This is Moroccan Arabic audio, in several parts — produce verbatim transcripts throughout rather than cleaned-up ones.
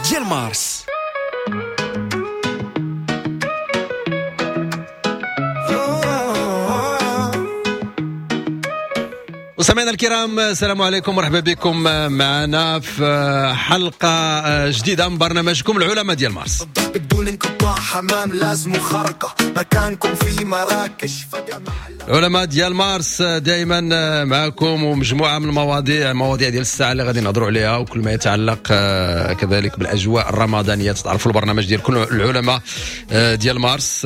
ديال مارس. مستمعينا الكرام، السلام عليكم، مرحبا بكم معنا في حلقة جديدة من برنامجكم العلماء ديال مارس. العلماء ديال مارس دائما معكم ومجموعة من المواضيع، مواضيع ديال الساعة اللي غادي نهضروا عليها وكل ما يتعلق كذلك بالأجواء الرمضانية. تعرفوا البرنامج ديال كل العلماء ديال مارس،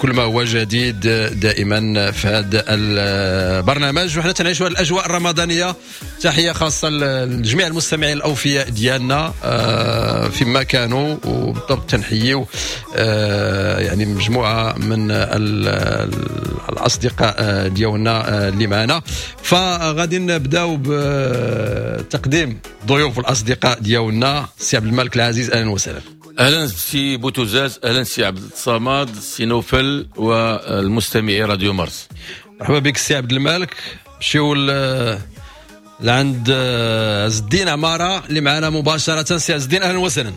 كل ما هو جديد دائما في هذا البرنامج، وحنا تنعيشوا الأجواء الرمضانية. تحية خاصة لجميع المستمعين الأوفياء ديالنا فيما كانوا، وبالضبط تنحيوا يعني مجموعة من الأصدقاء ديالنا اللي معنا. فغادي نبداو بتقديم ضيوف الأصدقاء ديالنا. سي عبد الملك العزيز، أهلا وسهلا. اهلا سي بوتوزاز، اهلا سي عبد الصمد، سي نوفل والمستمعي راديو مارس. مرحبا بك سي عبد الملك. مشيو لعند عز الدين عمارة اللي معنا مباشرة. سي عز الدين، اهلا وسهلا.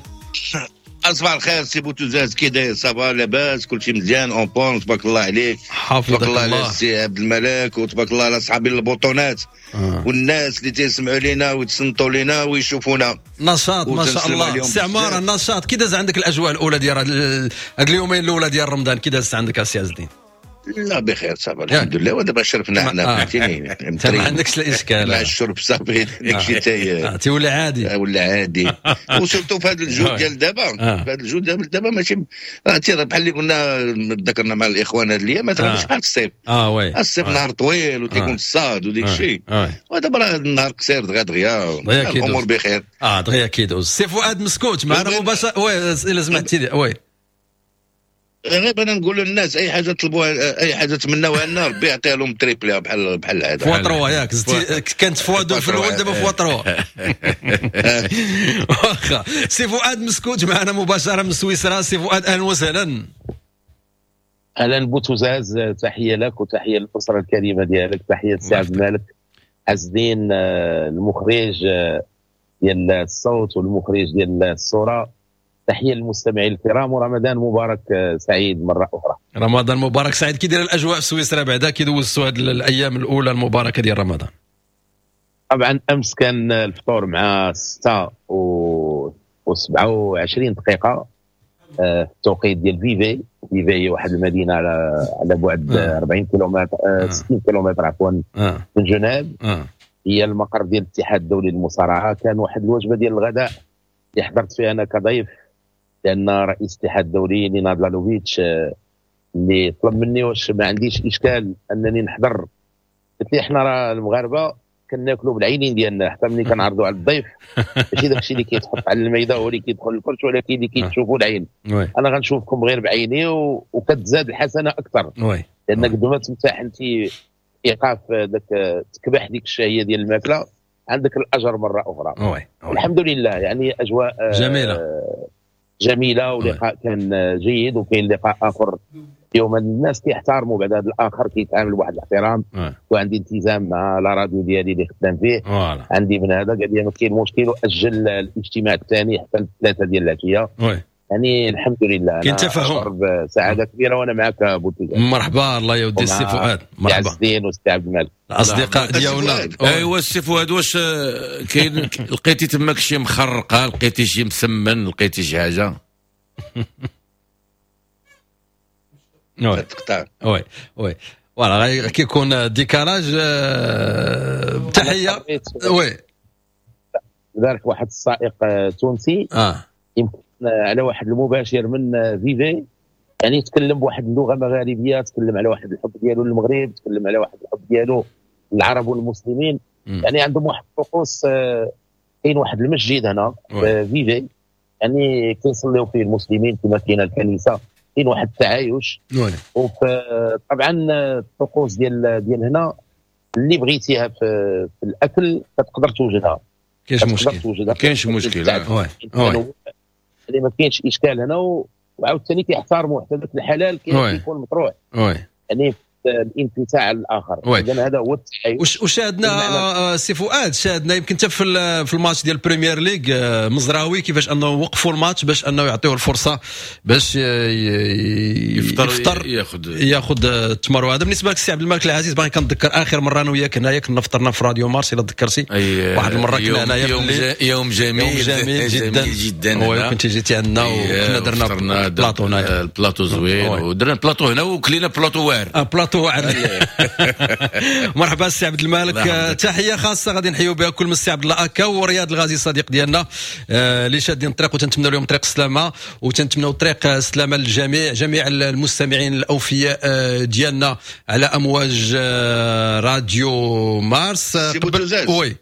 صباح الخير سي بوتوزاز، كي داير؟ ça va لاباس؟ كلشي مزيان en bon؟ تبارك الله عليك، حافظك الله, الله على سي عبد الملك، وتبارك الله على صحابي البوطونات آه. والناس اللي تيسمعوا لينا ويتصنتوا لينا ويشوفونا. نشاط ما شاء الله سي عمارة، النشاط. كي داز عندك الاجواء الاولى ديال هاد اليومين الاولى ديال رمضان؟ كي دازت عندك سي عز الدين؟ لا بخير ça va الحمد لله. ودابا شرفنا حنا فهمتيني، انت ما عندكش الاشكال مع الشرب صافي، داكشي تي تيولي عادي، ولا عادي. و surtout في هذا الجو ديال دابا، في هذا الجو ديال دابا ماشي عرفتي بحال اللي قلنا ذكرنا مع الاخوان هاد الايام، مثلا ماشي بحال الصيف. اه oui، الصيف نهار طويل وتيكون الصاد وديك الشيء، ودابا راه النهار قصير دغيا دغيا، الامور بخير. اه دغيا كيدوز. سي فؤاد مسكوت معنا مباشرة. oui الا سمحتي لي. oui غير انا نقول للناس اي حاجة طلبوها، اي حاجة تمناوها لنا ربي يعطيها لهم triplé بحال بحال العادة. fois trois ياك، كانت fois deux في الاول، دابا fois trois. واخا سي فؤاد مسكوت معنا مباشرة من سويسرا. سي فؤاد اهلا وسهلا. اهلا بوتوزاز، تحية لك وتحية للاسرة الكريمة ديالك، تحية سي عبد الملك عز الدين المخرج ديال الصوت والمخرج ديال الصورة، تحية للمستمعين الكرام، ورمضان مبارك سعيد مرة اخرى. رمضان مبارك سعيد. كي داير الاجواء في سويسرا بعدا؟ كي دوزتوا هذه الايام الاولى المباركة ديال رمضان؟ طبعا امس كان الفطور مع ستة و سبعة وعشرين دقيقة في التوقيت ديال فيفي. فيفي هي واحد المدينة على على بعد آه. أربعين كيلومتر آه. ستين كيلومتر عفوا آه. من جنيف. آه. هي المقر ديال الاتحاد الدولي للمصارعه. كان واحد الوجبة ديال الغداء اللي حضرت فيها انا كضيف، لان رئيس الاتحاد الدولي نيناد لالوفيتش اللي طلب مني واش ما عنديش اشكال انني نحضر. قلت لي احنا راه المغاربة كناكلوا بالعينين ديالنا، حتى ملي كنعرضوا على الضيف ماشي داكشي اللي كيتحط على الميده هو اللي كيدخل الكرش، ولكن اللي كيتشوفوا العين. انا غنشوفكم غير بعيني و... وكتزاد الحسنة اكثر، لان قد ما تمتاح انت ايقاف داك تكبح ديك الشهية ديال الماكلة عندك الاجر مرة اخرى. oui. الحمد لله، يعني اجواء جميلة جميلة، ولقاء كان جيد، وكاين لقاء اخر اليوم. الناس كيحترموا بعد هذا الاخر، كيتعامل بواحد الاحترام، وعندي التزام مع la radio ديالي اللي خدام فيه. voilà. عندي من هذا قال لي ما كاين مشكل، واجل الاجتماع الثاني حتى الثلاثة ديال العشية. يعني الحمد لله كاين تفاهم، سعادة كبيرة وانا معك بوتوزاز. مرحبا، الله يودي السي فؤاد. مرحبا عز الدين والسي عبد الملك الاصدقاء ديالنا. ايوا السي فؤاد، واش كاين لقيتي تماك شي مخرقه، لقيتي شي مسمن، لقيتي شي حاجة؟ oui oui oui voilà كيكون décalage. تحية. oui ذلك واحد السائق تونسي اه يمكن على واحد المباشر من فيفي، يعني تكلم بواحد اللغة مغاربيه، تكلم على واحد الحب ديالو للمغرب، تكلم على واحد الحب ديالو للعرب والمسلمين. م. يعني عندهم واحد الطقوس، كاين واحد المسجد هنا في فيفي يعني كيصليو فيه المسلمين كما كاينه الكنيسة، كاين واحد التعايش. وطبعا الطقوس ديال ديال هنا اللي بغيتيها في, في الاكل كتقدر توجدها، كاينش مشكل، كاينش مشكل. يعني ما كاينش اشكال هنا، وعاوتاني كيحترموا حتى ذاك الحلال كيكون مطروح. oui يعني الانفتاح على الاخر. اذا هذا هو التحيز. وشاهدنا سي فؤاد، شاهدنا يمكن حتى في في الماتش ديال البريمير ليغ مزراوي كيفاش انه وقفوا الماتش باش انه يعطيوه الفرصة باش يفطر, يفطر ياخذ ياخذ التمر. وهذا بالنسبة لك سي عبد الملك العزيز، باغي كنتذكر اخر مرة انا وياك هنايا كنا فطرنا في راديو مارس الا تذكرتي، واحد المرة كنا هنايا يوم, يوم جميل يوم جميل جدا جدا، كنت جيتي عندنا وكنا درنا بلاطو هنايا، البلاطو زوين ودرنا بلاطو هنا وكلينا بلاطو واعر بلاطو واعر. مرحبا السي عبد الملك، تحية خاصة غادي نحيو بها كل من السي عبد الله اكا ورياض الغازي الصديق ديالنا اللي شادين الطريق، وتنتمنوا لهم طريق السلامة، وتنتمنوا طريق السلامة للجميع، جميع المستمعين الاوفياء ديالنا على امواج راديو مارس. قبل oui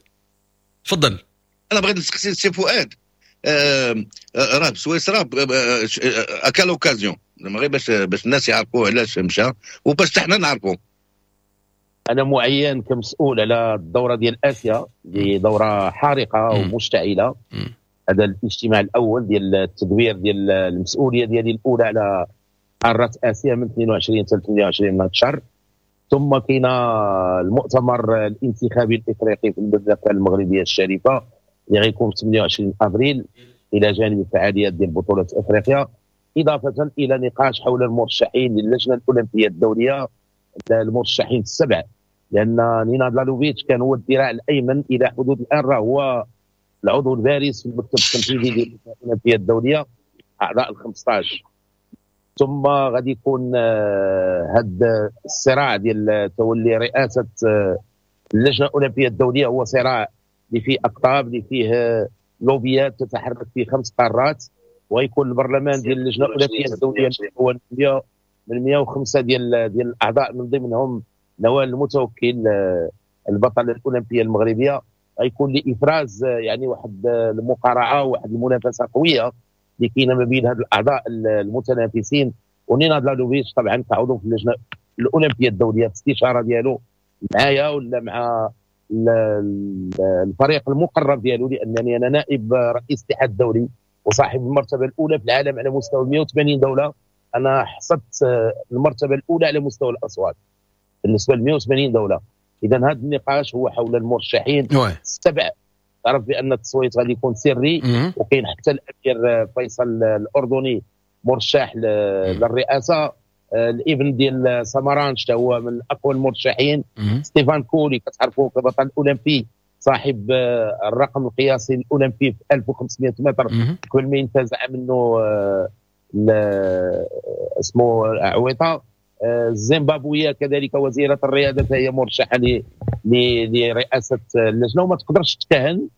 تفضل. انا بغيت نسقسي السي فؤاد، راه بسويسرا à quelle occasion، غير باش باش الناس يعرفوا علاش مشى وباش حنا نعرفوا. انا معين كمسؤول على الدورة ديال اسيا، دي دوره حارقه ومشتعله. هذا الاجتماع الاول ديال التدوير ديال المسؤولية ديالي الاولى على قارة اسيا من اثنين وعشرين حتى ثمانية وعشرين من هذا الشهر. ثم كاين المؤتمر الانتخابي الافريقي في المملكة المغربية الشريفة اللي غيكون في ثمانية وعشرين ابريل، الى جانب الفعاليات ديال بطوله افريقيا، اضافه الى نقاش حول المرشحين للجنة الاولمبية الدولية، المرشحين السبع، لان نيناد لالوفيتش كان هو الذراع الايمن الى حدود الان، راه هو العضو البارز في المكتب التنفيذي ديال اللجنة الاولمبية الدولية، اعضاء ال خمسطاش. ثم غادي يكون هذا الصراع ديال تولي رئاسة اللجنة الاولمبية الدولية هو صراع اللي فيه اقطاب، اللي فيه لوبيات تتحرك في خمس قارات، ويكون البرلمان ديال اللجنة الاولمبية الدولية هو من مئة وخمسة ديال ديال الاعضاء، من ضمنهم نوال المتوكل البطلة الاولمبية المغربية. غيكون لافراز يعني واحد المقارعة وواحد المنافسة قوية اللي كاينه ما بين هاد الاعضاء المتنافسين. ونيناد لالوفيتش طبعا كعضو في اللجنة الاولمبية الدولية في الاستشارة ديالو معايا ولا مع الفريق المقرب ديالو، لانني انا نائب رئيس الاتحاد الدولي وصاحب المرتبة الاولى في العالم على مستوى مئة وثمانين دولة. انا حصدت المرتبة الاولى على مستوى الاصوات بالنسبة ل مئة وثمانين دولة. اذا هذا النقاش هو حول المرشحين السبع. تعرف بان التصويت غادي يكون سري، وكاين حتى الامير فيصل الاردني مرشح للرئاسة، الابن ديال سامارانش حتى هو من اقوى المرشحين، ستيفان كولي كتعرفوه كبطل اولمبي صاحب الرقم القياسي الاولمبي في ألف وخمسمئة متر قبل ما ينتزع منه اسمه عويطه. الزيمبابويه كذلك وزيره الرياضة هي مرشحة لرئاسة اللجنة، وما تقدرش تكهن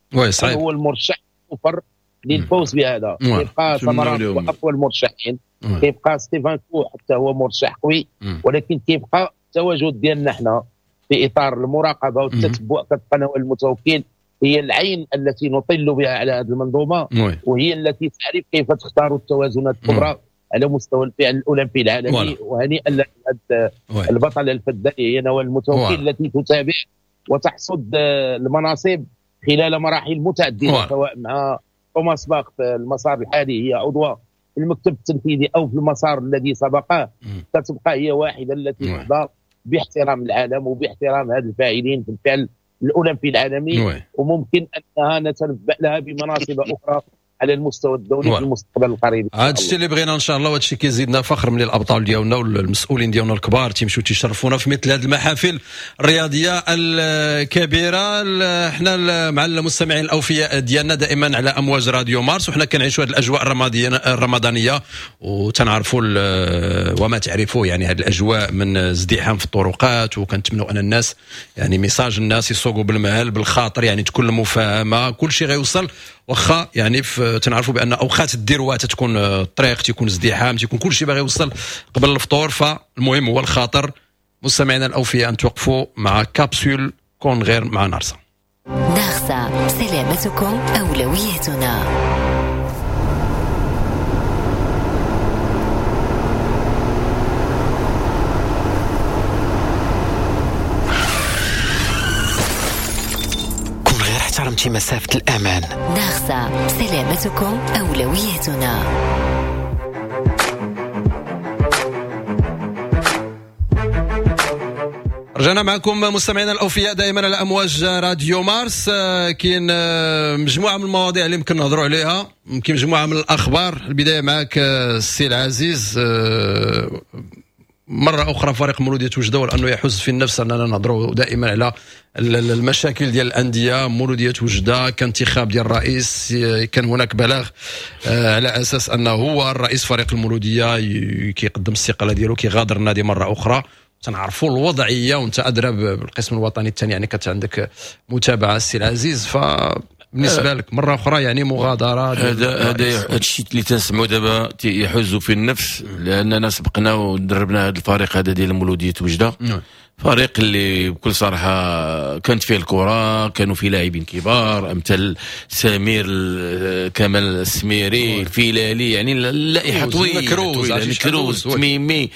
هو المرشح الاوفر للفوز بهذا. كيبقى سامارانش هو اقوى المرشحين، كيبقى ستيفان كو حتى هو مرشح قوي، ولكن كيبقى التواجد ديالنا حنا في اطار المراقبة والتتبع كتبقى نوال المتوكل هي العين التي نطل بها على هذه المنظومة، وهي التي تعرف كيف تختار التوازنات الكبرى على مستوى الفعل الاولمبي العالمي. وهنيئا لهذه البطلة الفدائيه هي نوال المتوكل التي تتابع وتحصد المناصب خلال مراحل متعددة، سواء مع توماس باخ في المسار الحالي هي عضوة في المكتب التنفيذي او في المسار الذي سبقه، ستبقى هي واحدة التي تحظى باحترام العالم وباحترام هذا الفاعلين في الفعل الاولمبي العالمي، وممكن انها نتنبأ لها بمناصب اخرى على المستوى الدولي في المستقبل القريب. هذا الشيء اللي بغينا ان شاء الله، وهذا الشيء كيزيدنا فخر من الابطال ديالنا والمسؤولين ديالنا الكبار تيمشيو تيشرفونا في مثل هذه المحافل الرياضية الكبيرة. حنا مع المستمعين الاوفياء ديالنا دائما على امواج راديو مارس، وحنا كنعيشوا هذه الاجواء الرمضانية وتنعرفوا وما تعرفوا يعني هذه الاجواء من ازدحام في الطرقات، وكنتمنوا ان الناس يعني message الناس يسوقوا بالمهل بالخاطر، يعني تكون المفاهمه كل شيء غيوصل. واخا يعني تنعرفوا بان اوقات الذروة تتكون الطريق تيكون ازدحام تيكون كل شيء باغي يوصل قبل الفطور، فالمهم هو الخاطر. مستمعينا الاوفياء ان توقفوا مع كابسول كون غير مع نارسا. نارسا، سلامتكم اولويتنا. احترمتي مسافة الأمان. نارسا، سلامتكم أولويتنا. رجعنا معكم مستمعينا الاوفياء دائما على امواج راديو مارس. كاين مجموعة من المواضيع اللي يمكن نهضروا عليها، يمكن مجموعة من الاخبار. البداية معك السي العزيز، مرة اخرى فريق مولوديه وجده، ولانه يحز في النفس اننا نهضروا دائما على المشاكل ديال الاندية. مولوديه وجده كان انتخاب ديال الرئيس، كان هناك بلاغ على اساس انه هو الرئيس فريق المولوديه كيقدم الاستقالة ديالو، كيغادر النادي مرة اخرى. تنعرفوا الوضعية وانت ادرى بالقسم الوطني الثاني، يعني كانت عندك متابعه السي العزيز، فبالنسبه لك مرة اخرى يعني مغادرة. هذا هذا هذا الشيء اللي تنسمعوا دابا يحز في النفس، لاننا سبقنا ودربنا هذا الفريق هذا ديال مولوديه وجده، فريق اللي بكل صراحة كانت فيه الكره، كانوا فيه لاعبين كبار امثال سمير كمال السميري، الفيلالي، يعني اللائحة طويلة طويلة، كروز، تميمي،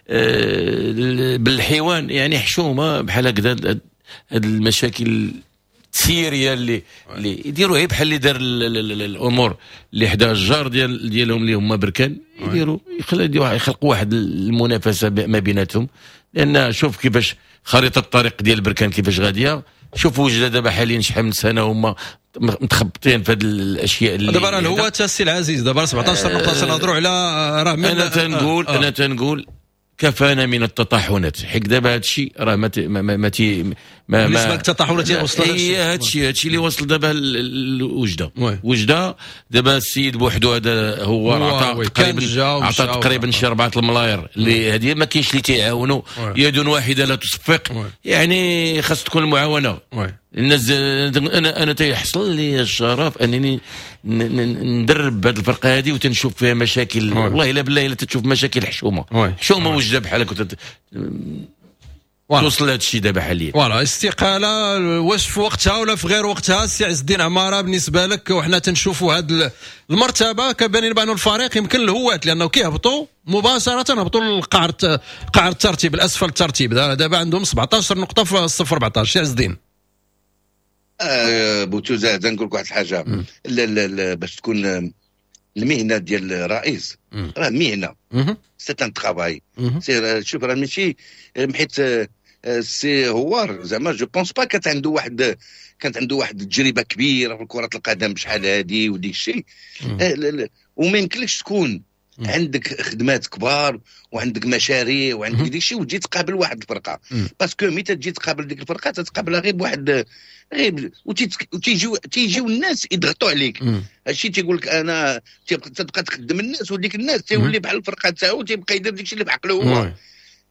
آه بالحيوان، يعني حشومه بحال هكذا هاد المشاكل التسييريه اللي اللي يديروا غير بحال اللي دار الامور اللي حدا الجار ديال ديالهم اللي هما بركان، يديروا يخلقوا واحد المنافسة ما بيناتهم. لان شوف كيفاش خريطة الطريق ديال بركان كيفاش غادية، شوف وجده دابا حاليا شحال من سنة هما متخبطين في هذه الاشياء اللي دابا راه هو السي العزيز دابا سبعطاش نقطة نهضروا على راه. انا تنقول آه. انا تنقول كفانا من التطاحنات، حيت دابا هذا الشيء راه ما ما ما ما ما بالنسبة للتطاحنات وصل هي هذا الشيء هذا الشيء اللي وصل دابا لوجده. وجده دابا السيد بوحدو هذا هو عطى تقريبا عطى تقريبا شي أربعة الملاير اللي هذه ما كاينش اللي تيعاونوا، يد واحدة لا تصفق، يعني خاص تكون المعاونه. الناس انا انا تيحصل لي الشرف انني ندرب هذه الفرقة هذه وتنشوف فيها مشاكل، والله الا بالله الا تشوف مشاكل حشومه حشومه وجده بحال هكا توصل لهذا الشيء دابا حاليا. voilà استقالة واش في وقتها ولا في غير وقتها السي عز الدين عمارة بالنسبة لك؟ وحنا تنشوفوا هذه المرتبة كبان بان الفريق يمكن الهوات، لانه كيهبطوا مباشرة هبطوا للقعر قعر الترتيب، الاسفل الترتيب، دابا عندهم سبعطاش نقطة في الصف أربعطاش. سي عز الدين. آه بوتوزا نقول لك واحد الحاجة، لا لا لا باش تكون المهنة ديال الرئيس راه مهنة، c'est un travail. شوف راه ماشي حيت سي هوار زعما je pense pas كانت عنده واحد كانت عنده واحد التجربة كبيرة في كره القدم بشحال هادي وديك الشيء، وما يمكنلكش تكون عندك خدمات كبار وعندك مشاريع وعندك ديك الشيء وتجي تقابل واحد الفرقة، parce que ملي تجي تقابل ديك الفرقة تتقابلها غير بواحد غير وتيجيو تيجيو الناس يضغطوا عليك. هادشي تيقول لك انا تبقى تخدم الناس وديك الناس تيولي بحال الفرقة تاعو تيبقى يدير ديك الشيء اللي بعقله هو.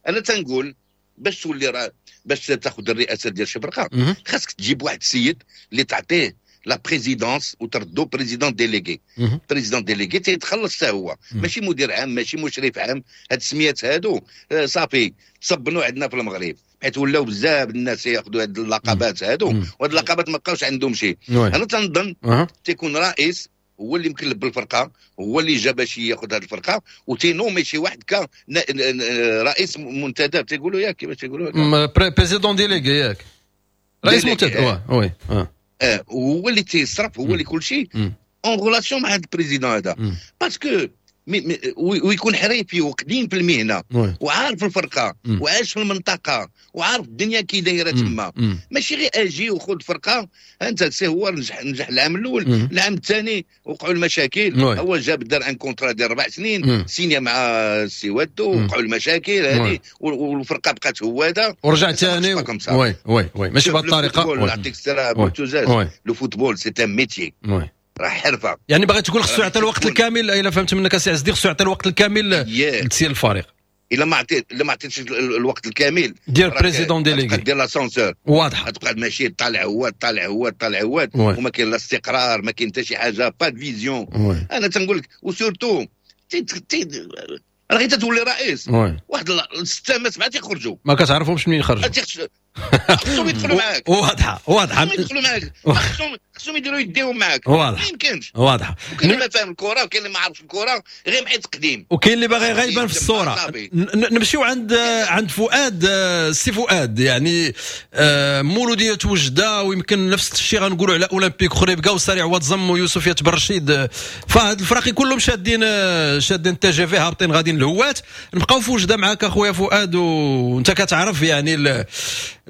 انا تنقول باش تولي راه باش تاخذ الرئاسة ديال شي فرقه خاصك تجيب واحد السيد اللي تعطيه la présidence وتردو président délégué. président délégué تيتخلص حتى هو، ماشي مدير عام ماشي مشرف عام. هاد السميات هادو صافي تصبنوا عندنا في المغرب، حيت ولاو بزاف الناس ياخذوا هاد اللقبات هادو، وهاد اللقبات ما بقاوش عندهم شي. انا تنظن تيكون رئيس هو اللي مكلف بالفرقة، هو اللي جا باش ياخذ هذه الفرقة وتينومي شي واحد ك رئيس منتدب، تيقولوا ياك كيفاش تيقولوا président délégué ياك رئيس منتدب. oui اه اه هو اللي تيصرف، هو اللي كل شيء en relation مع هذا ال président هذا، parce que ويكون حريفي وقديم في المهنة وعارف الفرقة وعايش في المنطقة وعارف الدنيا كي دايرة تما، ماشي غير اجي وخذ فرقه. انت سي هو نجح نجح العام الاول، العام الثاني وقعوا المشاكل، هو جاب دار un contrat ديال اربع سنين سينيا مع السي وادو، وقعوا المشاكل هذه والفرقة بقات هو هذا ورجع ثاني. oui oui oui ماشي بهذه الطريقة. نعطيك السلام. le football c'est un métier، راه حرفه. يعني باغي تقول خصو يعطي الوقت الكامل، الا فهمت منك السي عز الدين خصو يعطي الوقت الكامل لتسيير الفريق. الا ما عطيت الا ما عطيتش الوقت الكامل دير président délégué، دير l'ascenseur واضحة، تبقى ماشي طالع هو طالع هو طالع هو، وما كاين لا استقرار، ما كاين حتى شي حاجة، pas de vision. انا تنقول لك و surtout راه غير تولي رئيس واحد الستة ما سبعة تيخرجوا ما كتعرفهمش منين يخرجوا، خصهم يدخلوا معاك. واضحة واضحة، خصهم يدخلوا معاك، خصهم خصهم يديروا يديهم معاك. واضح، ما يمكنش. واضحة. وكاين اللي ما فاهم الكره وكاين اللي ما عارفش الكره غير محيت قديم، وكاين اللي باغي غيبان في الصورة. نمشيو عند عند فؤاد. السي فؤاد، يعني مولودية وجده، ويمكن نفس الشيء غنقولوا على اولمبيك خريبكا وسريع واتزم ويوسف برشيد، فهاد الفراقي كلهم شادين شادين TGV هابطين غاديين الهوات. نبقاو في وجده معاك اخويا فؤاد، وانت كتعرف يعني ال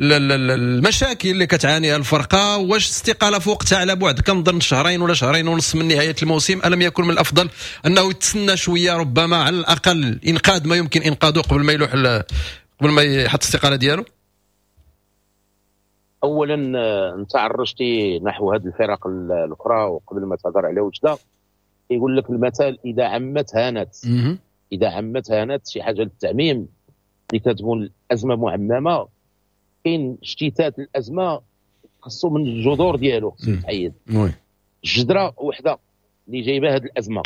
المشاكل اللي كتعانيها الفرقة. واش استقالة في وقتها على بعد كنظن شهرين ولا شهرين ونص من نهاية الموسم؟ الم يكن من الافضل انه يتسنى شوية ربما على الاقل انقاذ ما يمكن انقاذه قبل ما يلوح قبل ما يحط الاستقالة ديالو؟ اولا انت عرجتي نحو هذه الفرق الاخرى، وقبل ما تهضر على وجده يقول لك المثل اذا عمت هانت. اذا عمت هانت، شي حاجة للتعميم اللي كتكون الازمة معممه، كاين اشتتات الازمة خصو من الجذور ديالو خصو يتحيد. الجدره وحده اللي جايبه هذه الازمة.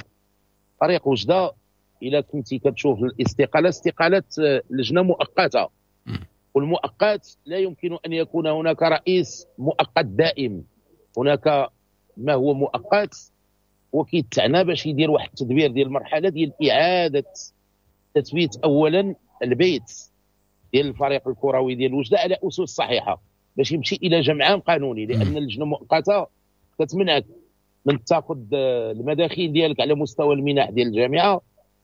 طريق وجده الا كنتي كتشوف الاستقالة، استقالة لجنة مؤقتة، والمؤقت لا يمكن ان يكون هناك رئيس مؤقت دائم. هناك ما هو مؤقت وكيتعنى باش يدير واحد التدبير ديال المرحلة ديال اعاده تثبيت اولا البيت ديال الفريق الكروي ديال وجده على اسس صحيحه باش يمشي الى جمعان قانوني، لان اللجنة المؤقتة كتمنعك من تاخذ المداخيل ديالك على مستوى المنح ديال الجامعة،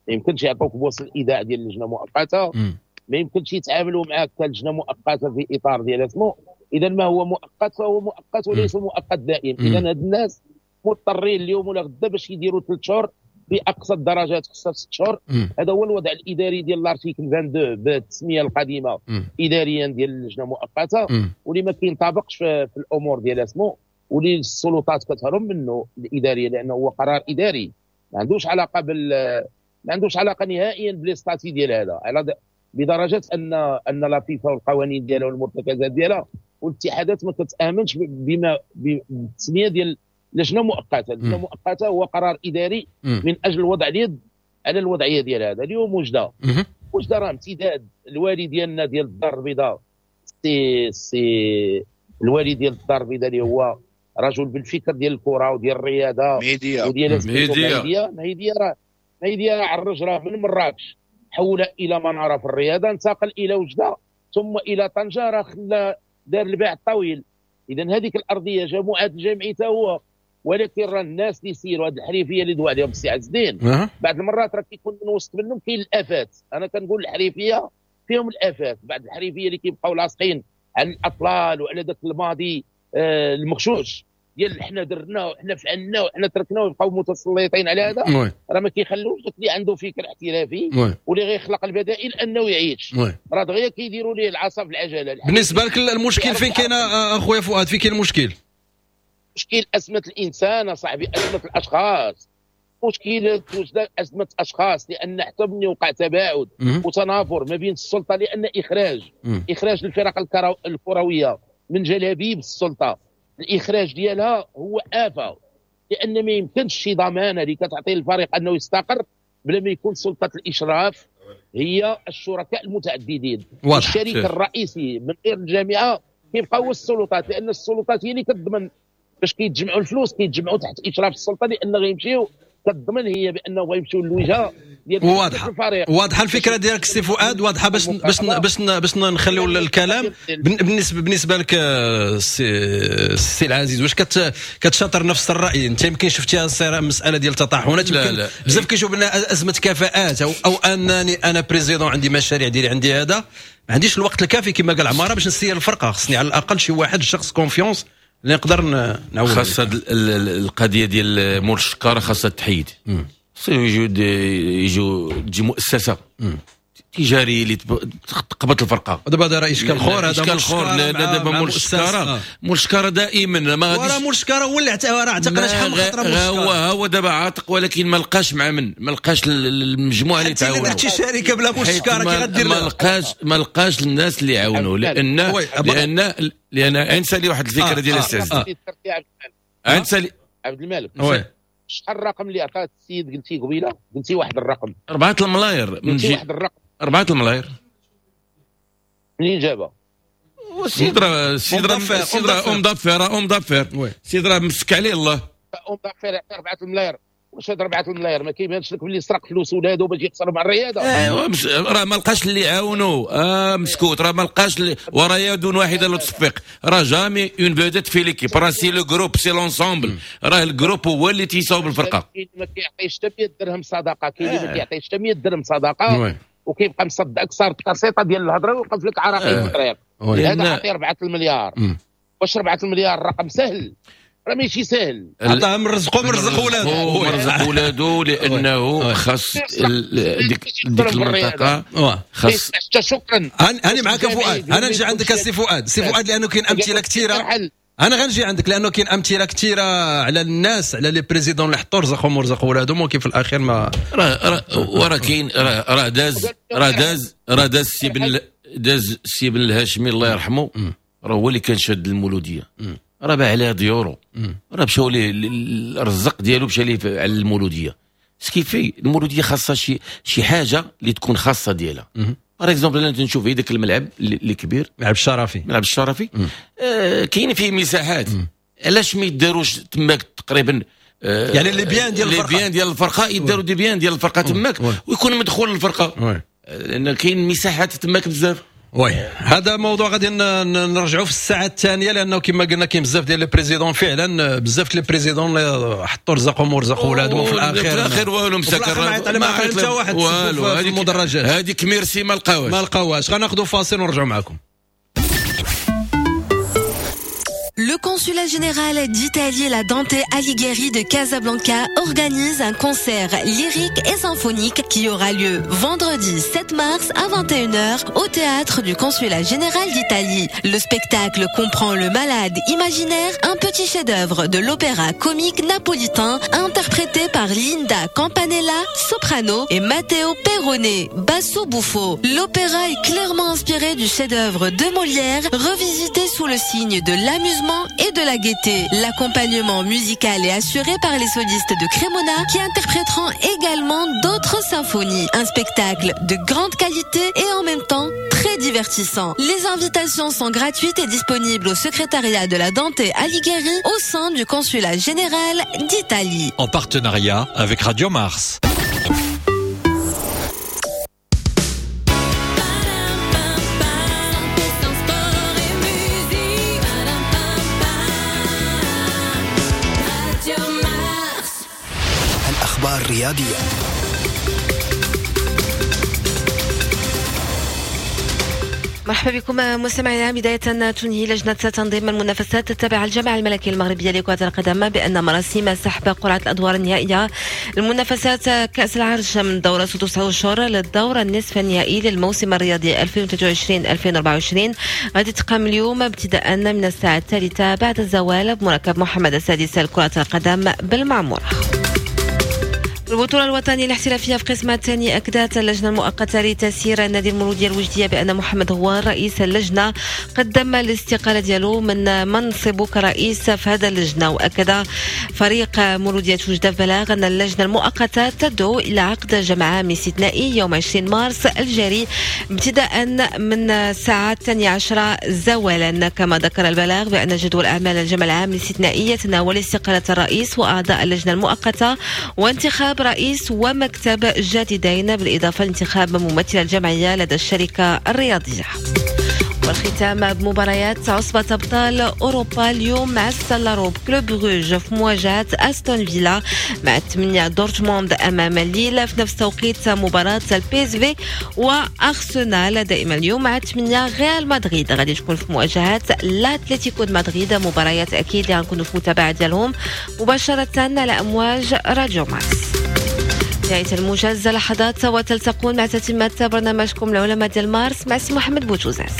ما يمكنش يعطوك بوصل الايداع ديال اللجنة المؤقتة، ما يمكنش يتعاملوا معاك كلجنه مؤقتة في اطار ديال اسمو. اذا ما هو مؤقت فهو مؤقت وليس مؤقت دائم. اذا هاد الناس مضطرين اليوم ولا غدا باش يديروا ثلاث شهور باقصى الدرجات، خصها ست شهور. هذا هو الوضع الاداري ديال l'article اثنين وعشرين بالتسميه القديمة مم. اداريا ديال اللجنة المؤقتة، واللي ما كينطبقش في, في الامور ديال اسمو، واللي السلطات كتهرب منه الادارية لانه هو قرار اداري ما عندوش علاقة بال ما عندوش علاقة نهائيا ب les statuts ديال هذا، على بدرجة ان ان la FIFA والقوانين ديالها والمرتكزات ديالها والاتحادات ما كتامنش بما بالتسميه ديال لجنة مؤقتة. لجنة مؤقتة هو قرار اداري مم. من اجل وضع اليد على الوضعية ديال هذا. اليوم وجده وجده راه امتداد الوالي ديالنا ديال الدار البيضاء، سي سي الوالي ديال الدار البيضاء اللي هو رجل بالفكر ديال الكره وديال الرياضة وديال مهديه. مهديه راه مهديه عرج راه من مراكش حول الى منارة في الرياضة، انتقل الى وجده ثم الى طنجه، راه خلى دار الباع الطويل. اذا هذيك الارضية جماعة الجمعي حتى هو، ولكن راه الناس اللي يسيروا هذه الحريفيه اللي دوا عليهم السي عز الدين أه. بعض المرات راه كيكون من وسط منهم كاين الافات. انا كنقول الحريفيه فيهم الافات، بعض الحريفيه اللي كيبقاو لاصقين على الاطلال وعلى ذاك الماضي آه المغشوش ديال حنا درنا وحنا فعلنا وحنا تركنا، ويبقاو متسلطين على هذا. راه ما كيخلوش داك اللي عنده فكر احترافي واللي غيخلق البدائل انه يعيش، راه دغيا كيديروا ليه العصا في العجلة. بالنسبة لك المشكل فين كاين اخويا فؤاد؟ فين كاين المشكل؟ مشكل ازمة الانسان صاحبي، ازمة الاشخاص، مشكلة ازمة اشخاص، لان حتى ملي وقع تباعد وتنافر ما بين السلطة، لان اخراج مم. اخراج الفرق الكروية من جلابيب السلطة، الاخراج ديالها هو افه، لان ما يمكنش شي ضمانه اللي كتعطي الفريق انه يستقر بلا ما يكون سلطة الاشراف هي الشركاء المتعددين. الشريك الرئيسي من غير الجامعة كيبقى هو السلطات، لان السلطات هي اللي كتضمن باش كيتجمعوا الفلوس، كيتجمعوا تحت اشراف السلطة، لان غيمشيو كتضمن هي بانه غيمشيو للوجهه ديال واضحة الفريق. واضحة الفكرة ديالك سي فؤاد، واضحة. باش باش باش باش نخليو الكلام بالنسبة بالنسبة لك السي العزيز، واش كت كتشاطر نفس الراي؟ انت يمكن شفتيها مسالة ديال التطاحنات، يمكن بزاف كيشوف ان ازمة كفاءات او او انني انا président عندي مشاريع ديالي، عندي هذا، ما عنديش الوقت الكافي كما قال عمارة باش نسير الفرقة، خصني على الاقل شي واحد شخص confiance اللي نقدر نعاون. خاصة القضية ديال مول الشكاره خاصها تحيد، خصو يجوا يجوا تجي مؤسسة مم. تجارية اللي تقبط الفرقة. دابا هذا راه اشكال خور، هذا اشكال خور. لا دابا مول الشكاره، مول الشكاره دائما ما غاديش، راه مول الشكاره هو اللي راه اعتقنا شحال من خطره مول الشكاره، هو هو دابا عاتق، ولكن ما لقاش مع من، ما لقاش المجموعة اللي تعاونوا. حتى درتي شركة بلا مول الشكاره كي غدير؟ ما لقاش ما لقاش الناس اللي يعاونوا، لان لان لان انسى واحد الفكرة ديال السي عز الدين، انسى عبد الملك، شحال الرقم اللي عطاه السيد؟ قلتي قبيلة قلتي واحد الرقم أربعة الملاير، من جي واحد الرقم أربعة الملاير، منين جابها؟ السيد راه السيد راه السيد راه homme d'affaires، homme d'affaires، السيد راه مسك عليه الله. homme d'affaires يعطي أربعة الملاير، واش هاد أربعة الملاير ما كيبانش لك باللي سرق فلوس ولادو باش يخسروا مع الرياضة؟ ايوا راه ما لقاش اللي يعاونو، اه مسكوت، راه ما لقاش اللي وراه يد واحدة لا تصفق، راه jamais une vedette fait l'équipe، راه c'est le groupe، c'est l'ensemble، راه ال groupe هو اللي تيصاوب الفرقة. كاين اللي ما كيعطيش حتى مية درهم صدقه، كاين اللي ما كيعطيش حتى مية درهم صدقه وكيبقى مصدق صار الكاسيطه ديال الهضرة ويوقف لك عراقيل في الطريق. هذا عطية أربعة المليار، واش أربعة المليار رقم سهل؟ راه ماشي سهل. عطاها من رزقو، من رزق ولادو، من رزق ولادو، لانه خاص ديك ديك المنطقة خاص. شكرا. انا معاك فؤاد، انا نجي عندك السي فؤاد، سي فؤاد لانه كاين امثلة كثيرة. انا غنجي عندك لانه كاين امثلة كثيرة على الناس، على les présidents اللي حطوا رزقهم ورزقوا ولادهم، ولكن في الاخير ما راه راه وراه كاين راه راه داز راه داز راه داز السي بن داز السي بن الهاشمي الله يرحمه، راه هو اللي كان شاد المولوديه، راه باع عليها ديورو، راه مشاو ليه الرزق ديالو مشى ليه على المولوديه. ce qui fait المولوديه خاصها شي شي حاجة اللي تكون خاصة ديالها. par exemple انا تنشوف هذاك الملعب اللي كبير، ملعب الشرفي، ملعب الشرفي آه كاين فيه مساحات، علاش ما يداروش تماك تقريبا آه يعني les biens ديال الفرقة، les biens ديال الفرقة يداروا des biens ديال الفرقة تماك ويكون مدخول للفرقة، لان كاين مساحات تماك بزاف. oui هذا موضوع غادي نرجعوا في الساعة الثانية، لانه كما قلنا كاين بزاف ديال les présidents، فعلا بزاف les présidents اللي حطوا رزقهم ورزقوا ولادهم، وفي الاخير في الاخير والو مسكر، ما عطى حتى واحد والو في المدرجات. هذيك ميرسي ما لقاوهاش، ما لقاوهاش. غناخذوا فاصل ونرجعوا معكم. Le consulat général d'Italie et la Dante Alighieri de Casablanca organise un concert lyrique et symphonique qui aura lieu vendredi sept mars à vingt et une heures au théâtre du consulat général d'Italie. Le spectacle comprend Le Malade imaginaire, un petit chef-d'œuvre de l'opéra comique napolitain interprété par Linda Campanella, soprano, et Matteo Perrone, basso buffo. L'opéra est clairement inspiré du chef-d'œuvre de Molière, revisité sous le signe de l'amusement et de la gaieté. L'accompagnement musical est assuré par les solistes de Cremona qui interpréteront également d'autres symphonies. Un spectacle de grande qualité et en même temps très divertissant. Les invitations sont gratuites et disponibles au secrétariat de la Dante Alighieri au sein du consulat général d'Italie. En partenariat avec Radio Mars. الأخبار الرياضية. مرحبا بكم مستمعينا. بداية تنهي لجنة تنظيم المنافسات التابعة للجامعة الملكية المغربية لكرة القدم بأن مراسيم سحب قرعة الأدوار النهائية لمنافسات كأس العرش من دورة ستة أشهر للدور النصف النهائي للموسم الرياضي ألفين وثلاثة وعشرين ألفين وأربعة وعشرين غادي تقام اليوم ابتداء من الساعة الثالثة بعد الزوال بمركب محمد السادس لكرة القدم بالمعمورة. البطولة الوطنية الاحترافية في قسمها الثاني أكدت اللجنة المؤقتة لتسيير النادي المولودية الوجدية بأن محمد هو رئيس اللجنة قدم الاستقالة ديالو من منصبه كرئيس في هذا اللجنة. وأكد فريق مولودية وجدة بلاغ أن اللجنة المؤقتة تدعو إلى عقد جمع عام استثنائي يوم عشرين مارس الجاري ابتداء من الساعة الثانية عشرة زوالا. كما ذكر البلاغ بأن جدول أعمال الجمع العام الاستثنائي يتناول استقالة الرئيس وأعضاء اللجنة المؤقتة وانتخاب رئيس ومكتب جديدين بالإضافة لانتخاب ممثل الجمعية لدى الشركة الرياضية. والختام بمباريات عصبة أبطال أوروبا اليوم مع السلاروب كلوب بروج في مواجهة أستون فيلا، مع ثمانية دورتموند أمام ليل في نفس توقيت مباراة البي اس في وأرسنال. دائما اليوم مع ثمانية ريال مدريد غادي تكون في مواجهة الأتلتيكو مدريد، مباريات أكيد اللي غنكونوا في متابعة ديالهم مباشرة على أمواج راديو مارس. نهاية الموجز لحظات وتلتقون مع تتمة برنامجكم العلماء ديال مارس مع سي محمد بوتوزاس.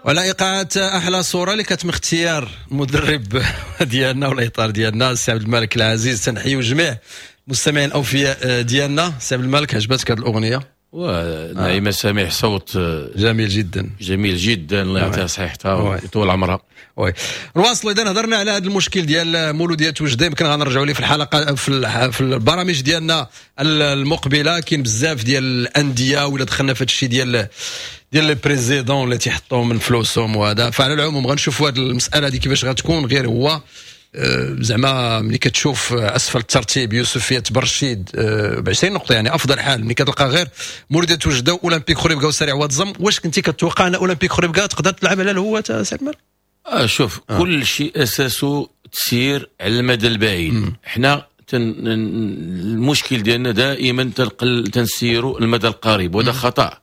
وعلى ايقاعات احلى صوره اللي كانت من اختيار المدرب ديالنا والاطار ديالنا السي عبد الملك العزيز. تنحيو جميع المستمعين الاوفياء ديالنا. سي عبد الملك، عجبتك هذه الاغنية؟ ونعيمه سميح صوت جميل جدا، جميل جدا، الله يعطيها صحتها ويطول عمرها. oui، نواصلوا. اذا هضرنا على هذا المشكل ديال مولوديه وجده، يمكن غنرجعوا ليه في الحلقة في, في البرامج ديالنا المقبله. كاين بزاف ديال الاندية ولا دخلنا في هذا الشيء ديال ديال les présidents اللي تيحطوا من فلوسهم وهذا. فعلى العموم غنشوفوا هذه المسالة دي كيفاش غتكون. غير هو آه، زعما ملي كتشوف اسفل الترتيب يوسفيه برشيد ب عشرين نقطه، يعني افضل حال ملي كتلقى غير مولوديه وجده، اولمبيك خريبكا وسريع واد زم. واش كنتي كتوقع ان اولمبيك خريبكا تقدر تلعب على الهواة سي عمر؟ آه شوف، آه. كل شيء اساسه تسير على المدى البعيد. حنا تن... المشكل ديالنا دائما تنقل تنسيروا المدى القريب، وهذا خطا.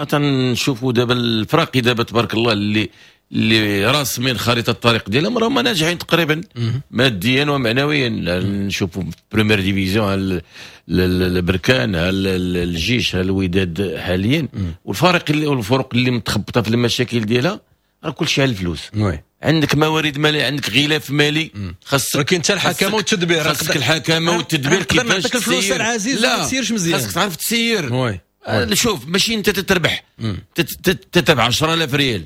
تنشوفوا دابا الفراقي دابا تبارك الله اللي اللي راسمين خريطة الطريق ديالهم راهم ناجحين تقريبا ماديا ومعنويا. نشوفوا première division، البركان، الجيش، الوداد حاليا، والفرق اللي والفرق اللي متخبطه في المشاكل ديالها راه كل شيء على الفلوس. oui. عندك موارد ماليه، عندك غلاف مالي، خاصك ولكن انت الحكامه والتدبير. خاصك الحكامه والتدبير. كيفاش الفلوس العزيز لا ما تسيرش مزيان؟ خاصك تعرف تسير. oui. شوف، ماشي انت تتربح تتربح عشرة آلاف ريال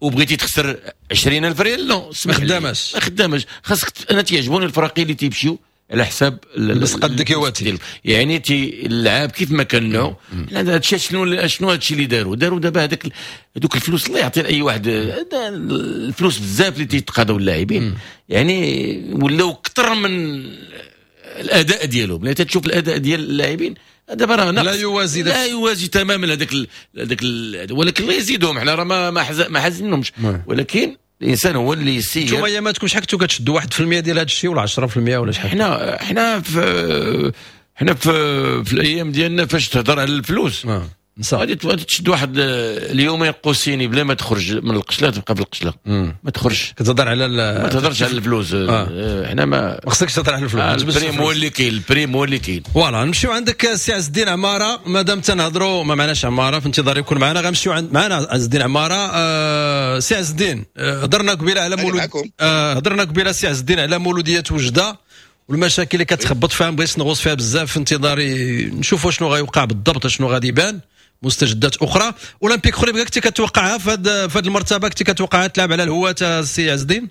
وبغيتي تخسر عشرين ألف ريال، non. ما خداماش. ما خداماش. خاصك، انا تيعجبوني الفراقي اللي تيمشيو على حساب بس قدك يواتي. يعني تي اللعاب كيف ما كانوا. هادشي شنو شنو هادشي اللي داروا داروا دابا، هذاك هذوك الفلوس الله يعطي لاي واحد الفلوس بزاف اللي تيتقاضوا اللاعبين، يعني ولاو اكثر من الاداء ديالهم. لا تشوف الاداء ديال اللاعبين دابا راه لا يوازي. لا يوازي تماما هذاك هذاك، ولكن الله يزيدهم. حنا راه ما ما ما حازينهمش، ولكن الانسان هو اللي يسير. انتم اياماتكم شحال كنتو كتشدوا؟ واحد في المية ديال هذا الشيء ولا عشرة في المية ولا شحال؟ حنا حنا في حنا في, في الايام ديالنا فاش تهضر على الفلوس آه. غادي تشد واحد اليومين قوسيني بلا ما تخرج من القشله، تبقى في القشله ما تخرجش. كتهضر على ما تهضرش على الفلوس. آه. حنا ما ما خصكش تهضر على الفلوس. آه ال prime هو اللي كاين، ال prime هو اللي كاين. voilà، نمشيو عندك سي عز الدين عماره. مادام تنهضروا ما معناش عمارة في انتظار يكون معنا، غنمشيو عند معنا عز الدين عماره. آه سي عز الدين، آه هضرنا قبيلة على مولود آه هضرنا قبيلة سي عز الدين على مولوديه وجده والمشاكل اللي كتخبط فيها. بغيت نغوص فيها بزاف في انتظاري نشوفوا شنو غيوقع بالضبط، شنو غادي يبان مستجدات اخرى. اولمبيك خريبكا كنتي كتوقعها في هذه المرتبه؟ كنتي كتوقعها تلعب على الهواة السي عز الدين؟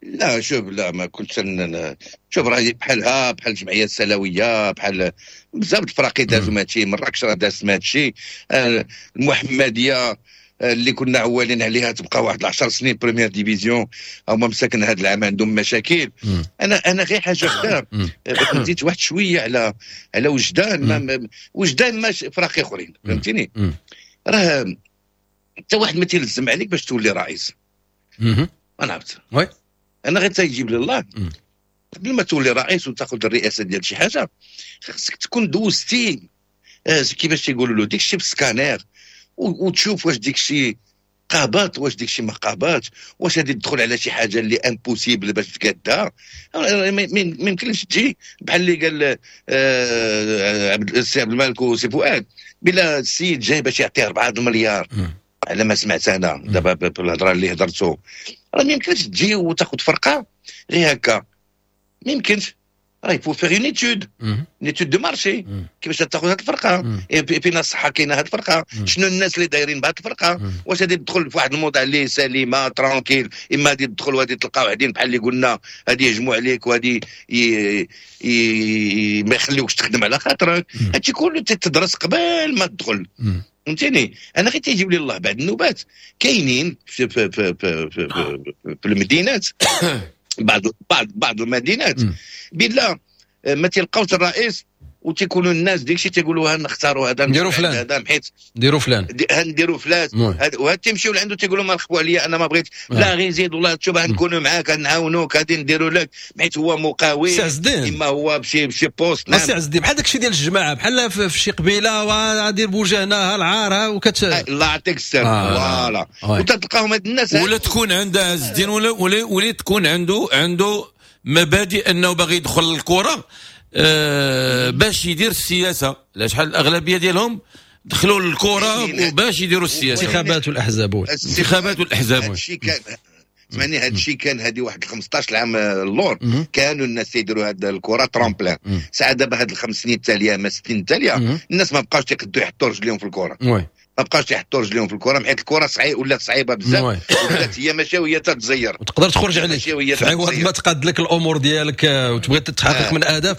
لا، شوف، لا ما كنت شوف، راه بحالها بحال الجمعية السلاويه، بحال بزاف الفراقي دازوا هادشي. مراكش راه دازت هادشي. آه، المحمدية آه، اللي كنا عوالين عليها تبقى واحد عشر سنين première division، هما مساكن هذا العام عندهم مشاكل. انا انا غير حاجة وحده بغيت نزيد واحد شوية على على وجدان. ما وجدان ماشي فراقي اخرين، فهمتيني؟ راه حتى واحد ما تيلزم عليك باش تولي رئيس. انا عرفت oui انا غير تيجيب لله، قبل ما تولي رئيس وتاخذ الرئاسة ديال شي حاجة خاصك تكون دوزتي آه كيفاش تيقولوا له ديك الشيء بالسكانير وتشوف واش ديك الشيء قابات، واش ديك الشيء ما قابات، واش غادي تدخل على شي حاجة اللي impossible باش تقادها. ما يمكنش تجي بحال اللي قال آه عبد السي عبد الملك وسي فؤاد، بلا السيد جاي باش يعطي أربعة المليار على ما سمعت انا دابا بالهضره اللي هضرتو. راه ما يمكنش تجي وتاخذ فرقه غير هكا، ما يمكنش. راه il faut faire une étude une étude de marché، كيفاش تاخذ هذه الفرقه، فين الصحة كاينه هذه الفرقه، شنو الناس اللي دايرين بهذه الفرقه، واش غادي تدخل في واحد الموضع اللي سليمة tranquille، اما غادي تدخل وغادي تلقى وحدين بحال اللي قلنا غادي يهجموا عليك وغادي ما يخليوكش تخدم على خاطرك. هادشي كله تدرس قبل ما تدخل، فهمتيني؟ انا غير تيجيب لي الله بعد النوبات كاينين في في في في, في, في, في المدينات، بعض بعض بعض المدينات بلا ما تلقاوش الرئيس وتيكونوا الناس ديك الشيء تيقولوا نختاروا هذا. نديروا فلان. هذا حيت نديروا فلان. نديروا فلان، وهاد تيمشيو لعنده تيقولوا ما نخفوا عليا، انا ما بغيت، لا غير زيد والله تشوف نكونوا معاك، نعاونوك، غادي نديروا لك، حيت هو مقاول اما هو بشي بشي poste. نعم سي عز الدين، بحال داك الشيء ديال الجماعه، بحال في شي قبيلة وغادير بوجهنا ها العار وكت الله يعطيك السر آه. voilà، وتلقاهم هاد الناس. ولا تكون عنده عز الدين ولا ولا, ولا تكون عنده عنده مبادئ انه باغي يدخل الكره آه باش يدير السياسه. لا شحال الاغلبية ديالهم دخلوا للكرة باش يديروا السياسة. الانتخابات والاحزاب، الانتخابات والاحزاب. هادشي كان، سمعني، هادشي كان هادي واحد خمسطاش عام اللور، كانوا الناس يديروا هاد الكره tremplin. ساعة دابا هاد الخمس سنين التالية ما ستين التالية الناس ما بقاوش تيقدروا يحطوا رجليهم في الكره، ما بقاوش يحطوا رجليهم في الكره، حيت الكره صعيب ولات صعيبة بزاف، ولات هي ماشية وهي تتزير وتقدر تخرج عليك في عوض ما تقاد لك الامور ديالك وتبغي تتحقق آه. من اهداف.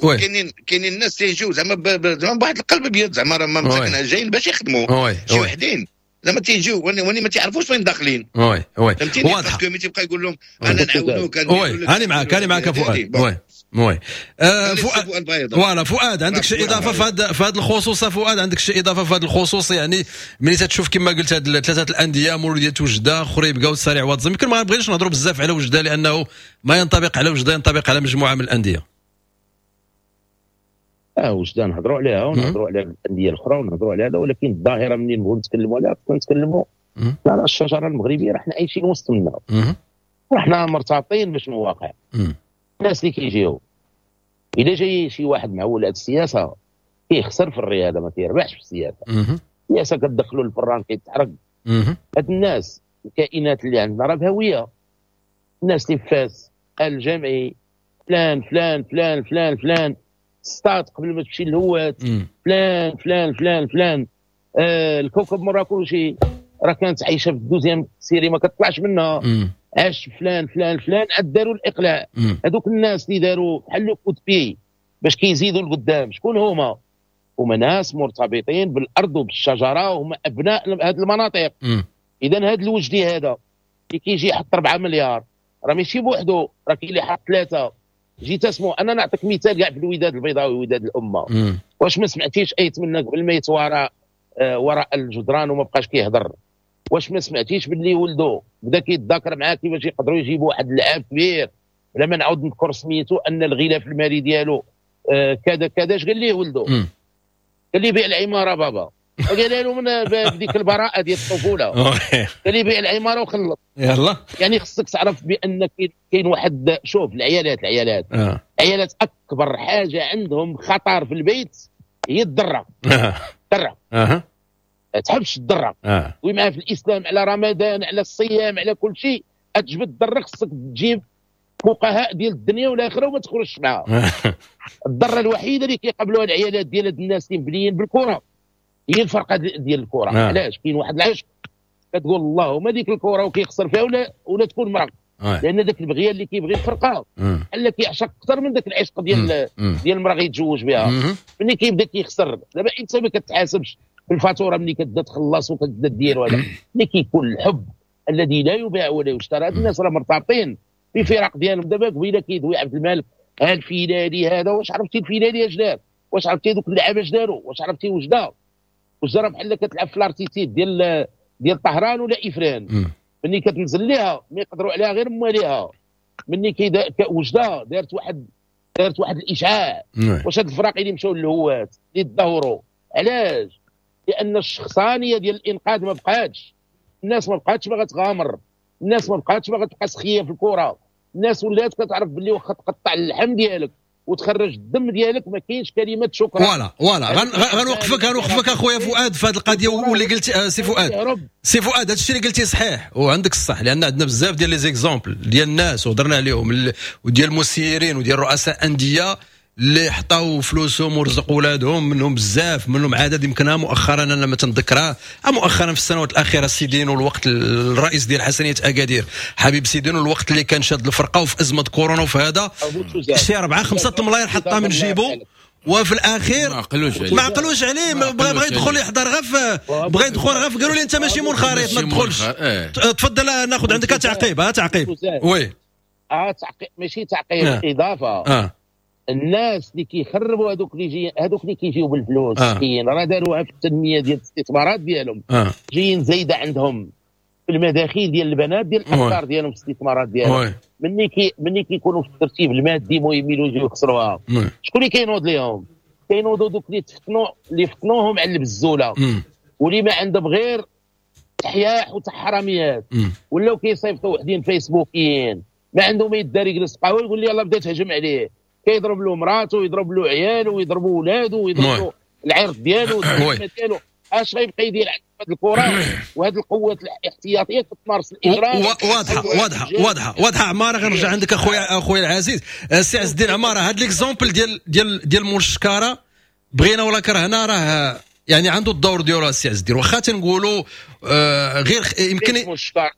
كاينين كاينين الناس تيجيو زعما زعما بواحد القلب ابيض، زعما راه مساكن جايين باش يخدموا، شي وحدين زعما تيجيو وني ما تعرفوش وين داخلين. oui oui واضح. parce que ملي تيبقى يقول لهم انا نعاونوك. oui انا معاك، انا معاك فؤاد. oui oui آه فؤاد، voilà فؤاد عندك شي اضافه في هذا في هذا الخصوص؟ فؤاد عندك شي اضافه في هذا الخصوص؟ يعني ملي تتشوف كما قلت هاد ثلاثة الاندية، مولوديه وجده، خريبكه والسريع واد زم، يمكن ما بغيناش نهضروا بزاف على وجده لانه ما ينطبق على وجده ينطبق على مجموعة من الاندية. اه وجده نهضروا عليها ونهضروا على الاندية الاخرى ونهضروا على هذا، ولكن الظاهرة منين نبغوا نتكلموا عليها خصنا نتكلموا على الشجرة المغربية. راه حنا عايشين وسط منا، راه مرتبطين بشنو واقع. الناس اللي كيجيو، اذا جاي شي واحد معول على السياسة كيخسر في الرياضة، ما كيربحش في السياسة. السياسة كتدخلوا الفران كيتحرق. هاد الناس الكائنات اللي عندنا راه بهوية، الناس اللي في فاس الجامعي فلان فلان فلان فلان فلان ستات قبل ما تمشي للهوات فلان فلان فلان فلان آه الكوكب مراكشي راه كانت عايشه في ال deuxième série ما كتطلعش منها، عاش فلان فلان فلان عاد داروا الاقلاع. هذوك الناس اللي داروا بحال le coup de pied باش كيزيدوا لقدام، شكون هما؟ هما ناس مرتبطين بالارض وبالشجره، وهما ابناء هذه المناطق. اذا هذا الوجدي هذا اللي كيجي يحط أربعة مليار راه ماشي بوحدو، راه كاين اللي حط ثلاثة. جيت اسمو انا نعطيك مثال كاع في الوداد البيضاوي وداد الامة. مم. واش ما سمعتيش ايت منا قبل ما يتوارى آه وراء الجدران وما بقاش كيهضر؟ واش ما سمعتيش باللي ولدو بدا كيتذاكر معاه كيفاش يقدروا يجيبوا واحد اللاعب كبير بلا ما نعاود نذكر سميتو، ان الغلاف المالي ديالو آه كذا كذا. اش قال ليه ولدو؟ قال لي بيع العمارة بابا، قال له من بديك البراءة ديال الطفولة قال لي بيع العمارة وخلص. يلا يعني خصك تعرف بان كاين واحد، شوف العيالات العيالات آه. العيالات اكبر حاجة عندهم خطر في البيت هي الضره. الضره اها تحبش الضره. آه. ومعها في الاسلام على رمضان على الصيام على كل شيء، تجبد الضره خصك تجيب فقهاء ديال الدنيا والاخرة وما تخرجش معاها. الضره الوحيدة اللي كيقبلوها العيالات ديال هاد الناس اللي مبنيين بالكرة هي الفرقة ديال الكره. آه. علاش؟ كاين واحد العشق كتقول اللهم ديك الكره وكيخسر فيها ولا ولا تكون مرا. آه. لان ذاك البغيه اللي كيبغي الفرقة بحال كيعشق اكثر من ذاك العشق ديال ديال المراة غيتزوج بها. ملي كيبدا كيخسر دابا انت ما كتحاسبش بالفاتوره ملي كتبدا تخلص وكتبدا دير وهذا، ملي كيكون الحب الذي لا يباع ولا يشترى. هاد الناس راه مرتبطين في فرق ديالهم. دابا قبيلة كيدوي عبد الملك ها الفيلالي هذا، واش عرفتي الفيلالي اش دار؟ واش عرفتي دوك اللعابه اش داروا؟ واش عرفتي وجده؟ وجده راه بحال كتلعب في l'altitude ديال ديال طهران ولا افران، ملي كتنزل ليها ما يقدروا عليها غير مواليها. ملي كيدا وجده دارت واحد دارت واحد الاشعاع. واش هاد الفراق اللي مشاو للهوات اللي تدهوروا علاش؟ لان الشخصانيه ديال الانقاذ ما بقاتش، الناس ما بقاتش باغا تغامر، الناس ما بقاتش باغا تبقى سخيه في الكره، الناس ولات كتعرف باللي واخا تقطع اللحم ديالك وتخرج الدم ديالك ما كاينش كلمة شكرا. voilà voilà غنوقفك غنوقفك اخويا فؤاد في هذه القضية واللي قلتي. آه سي فؤاد سي فؤاد هذا الشيء اللي قلتي صحيح وعندك الصح، لان عندنا بزاف ديال les exemples ديال الناس وهضرنا عليهم وديال المسيرين وديال رؤساء اندية اللي حطاو فلوسهم ورزقوا ولادهم، منهم بزاف منهم عدد يمكنها مؤخرا انا ما تنذكرها مؤخرا في السنوات الاخيرة سيدينو الوقت الرئيس ديال حسنيه اكادير حبيب سيدينو الوقت اللي كان شاد الفرقة وفي ازمة كورونا وفي هذا شي أربعة خمسة ملاير حطها من جيبو، وفي الاخير ما عقلوش عليه ما عقلوش عليه بغى بغى يدخل يحضر غف بغى يدخل غف قالوا لي انت ماشي منخرط ما تدخلش. تفضل ناخذ عندك تعقيب. ها تعقيب oui اه تعقيب ماشي تعقيب اضافه. آه. الناس اللي كيخربوا هذوك اللي جي هذوك اللي كيجيو بالفلوس مسكين آه. راه داروها في التنمية ديال الاستثمارات ديالهم آه. جايين زايدة عندهم في المداخيل ديال البنات ديال الافكار ديالهم في الاستثمارات ديالهم. ملي كي ملي كيكونوا في الترتيب المادي المهم يجيو يخسروها. شكون اللي كينوض ليهم؟ كينوضوا دوك اللي تفتنوا اللي فتنوهم على البزوله واللي ما عندهم غير تحياح وتحرميات، ولاو كيصيفطوا وحدين فيسبوكيين ما عندهم يدار يجلس قهوة يقول لي يلاه بدا تهجم عليه، كيضرب له مراته ويضرب له عياله ويضرب ولاده ويضرب له العرض ديالو ديالو. اش غيبقى يدير هذه الكره وهذه القوات الاحتياطيه كتمارس الاجرام. واضحة واضحة واضحة واضحة عمارة. غنرجع عندك اخويا اخويا العزيز السي عز الدين عمارة. هذا l'exemple ديال ديال ديال مول الشكاره بغينا ولا كرهنا راه يعني عنده الدور ديالو السي عز الدين، واخا تنقولوا آه غير يمكن مول الشكاره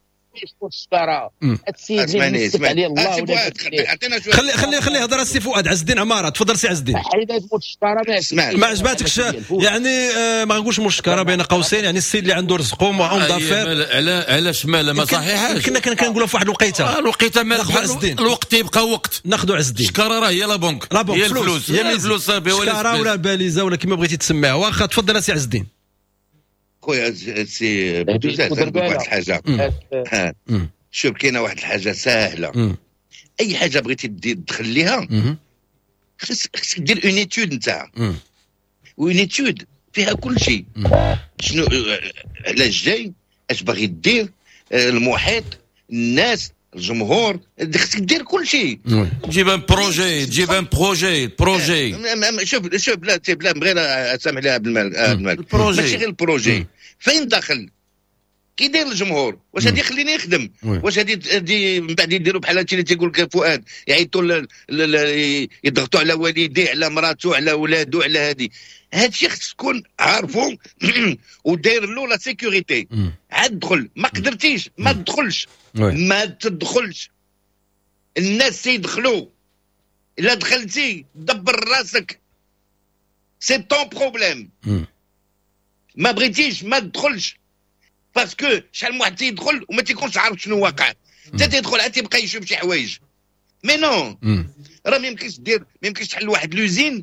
مول الشكاره السيد اللي نسب عليه الله ولا خلي خلي خلي يهضر السي فؤاد. عز الدين عمارة تفضل سي عز الدين. حيد هاد مول الشكاره ما عجباتكش يعني آه ما غنقولش مول الشكاره بين قوسين، يعني السيد اللي عنده رزقه homme d'affaires. على علاش مالا ما صحيحاش؟ كنا كنقولوا في واحد الوقيته الوقيته مال الوقت يبقى وقت. ناخذوا عز الدين. الشكاره راه هي la banque، la banque هي الفلوس، هي الفلوس صافي، ولا الشكاره ولا الباليزه ولا كما بغيتي تسميها. واخا تفضل سي عز الدين. خويا سي بوتوزاز نقول واحد الحاجة. شوف كاينه واحد الحاجة ساهله، اي حاجة بغيتي تدخل ليها خصك دير une étude نتاعها، une étude فيها كل شيء، شنو علاش جاي، اش باغي دير، المحيط، الناس، الجمهور، خصك دير كل شيء. تجيب un projet، تجيب un projet projet. شوف شوف لا لا بغير سامح لي عبد الملك، ماشي غير ال projet، فين داخل كي داير الجمهور، واش هادي يخليني نخدم، واش هادي من بعد يديروا بحال هادشي اللي تيقول لك فؤاد، يعيطوا يضغطوا على والديه، على مراته، على ولادو، على هادي. هادشي خص تكون عارفو وداير له la sécurité. عاد دخل، ما قدرتيش ما تدخلش، ما تدخلش. الناس تيدخلوا، الا دخلتي دبر راسك، c'est ton problème. ما بغيتيش ما تدخلش، parce que شحال من واحد تيدخل وما تيكونش عارف شنو واقع، حتى تيدخل عاد تيبقى يشوف شي حوايج. mais non، راه ما يمكنش دير، ما يمكنش تحل واحد l'usine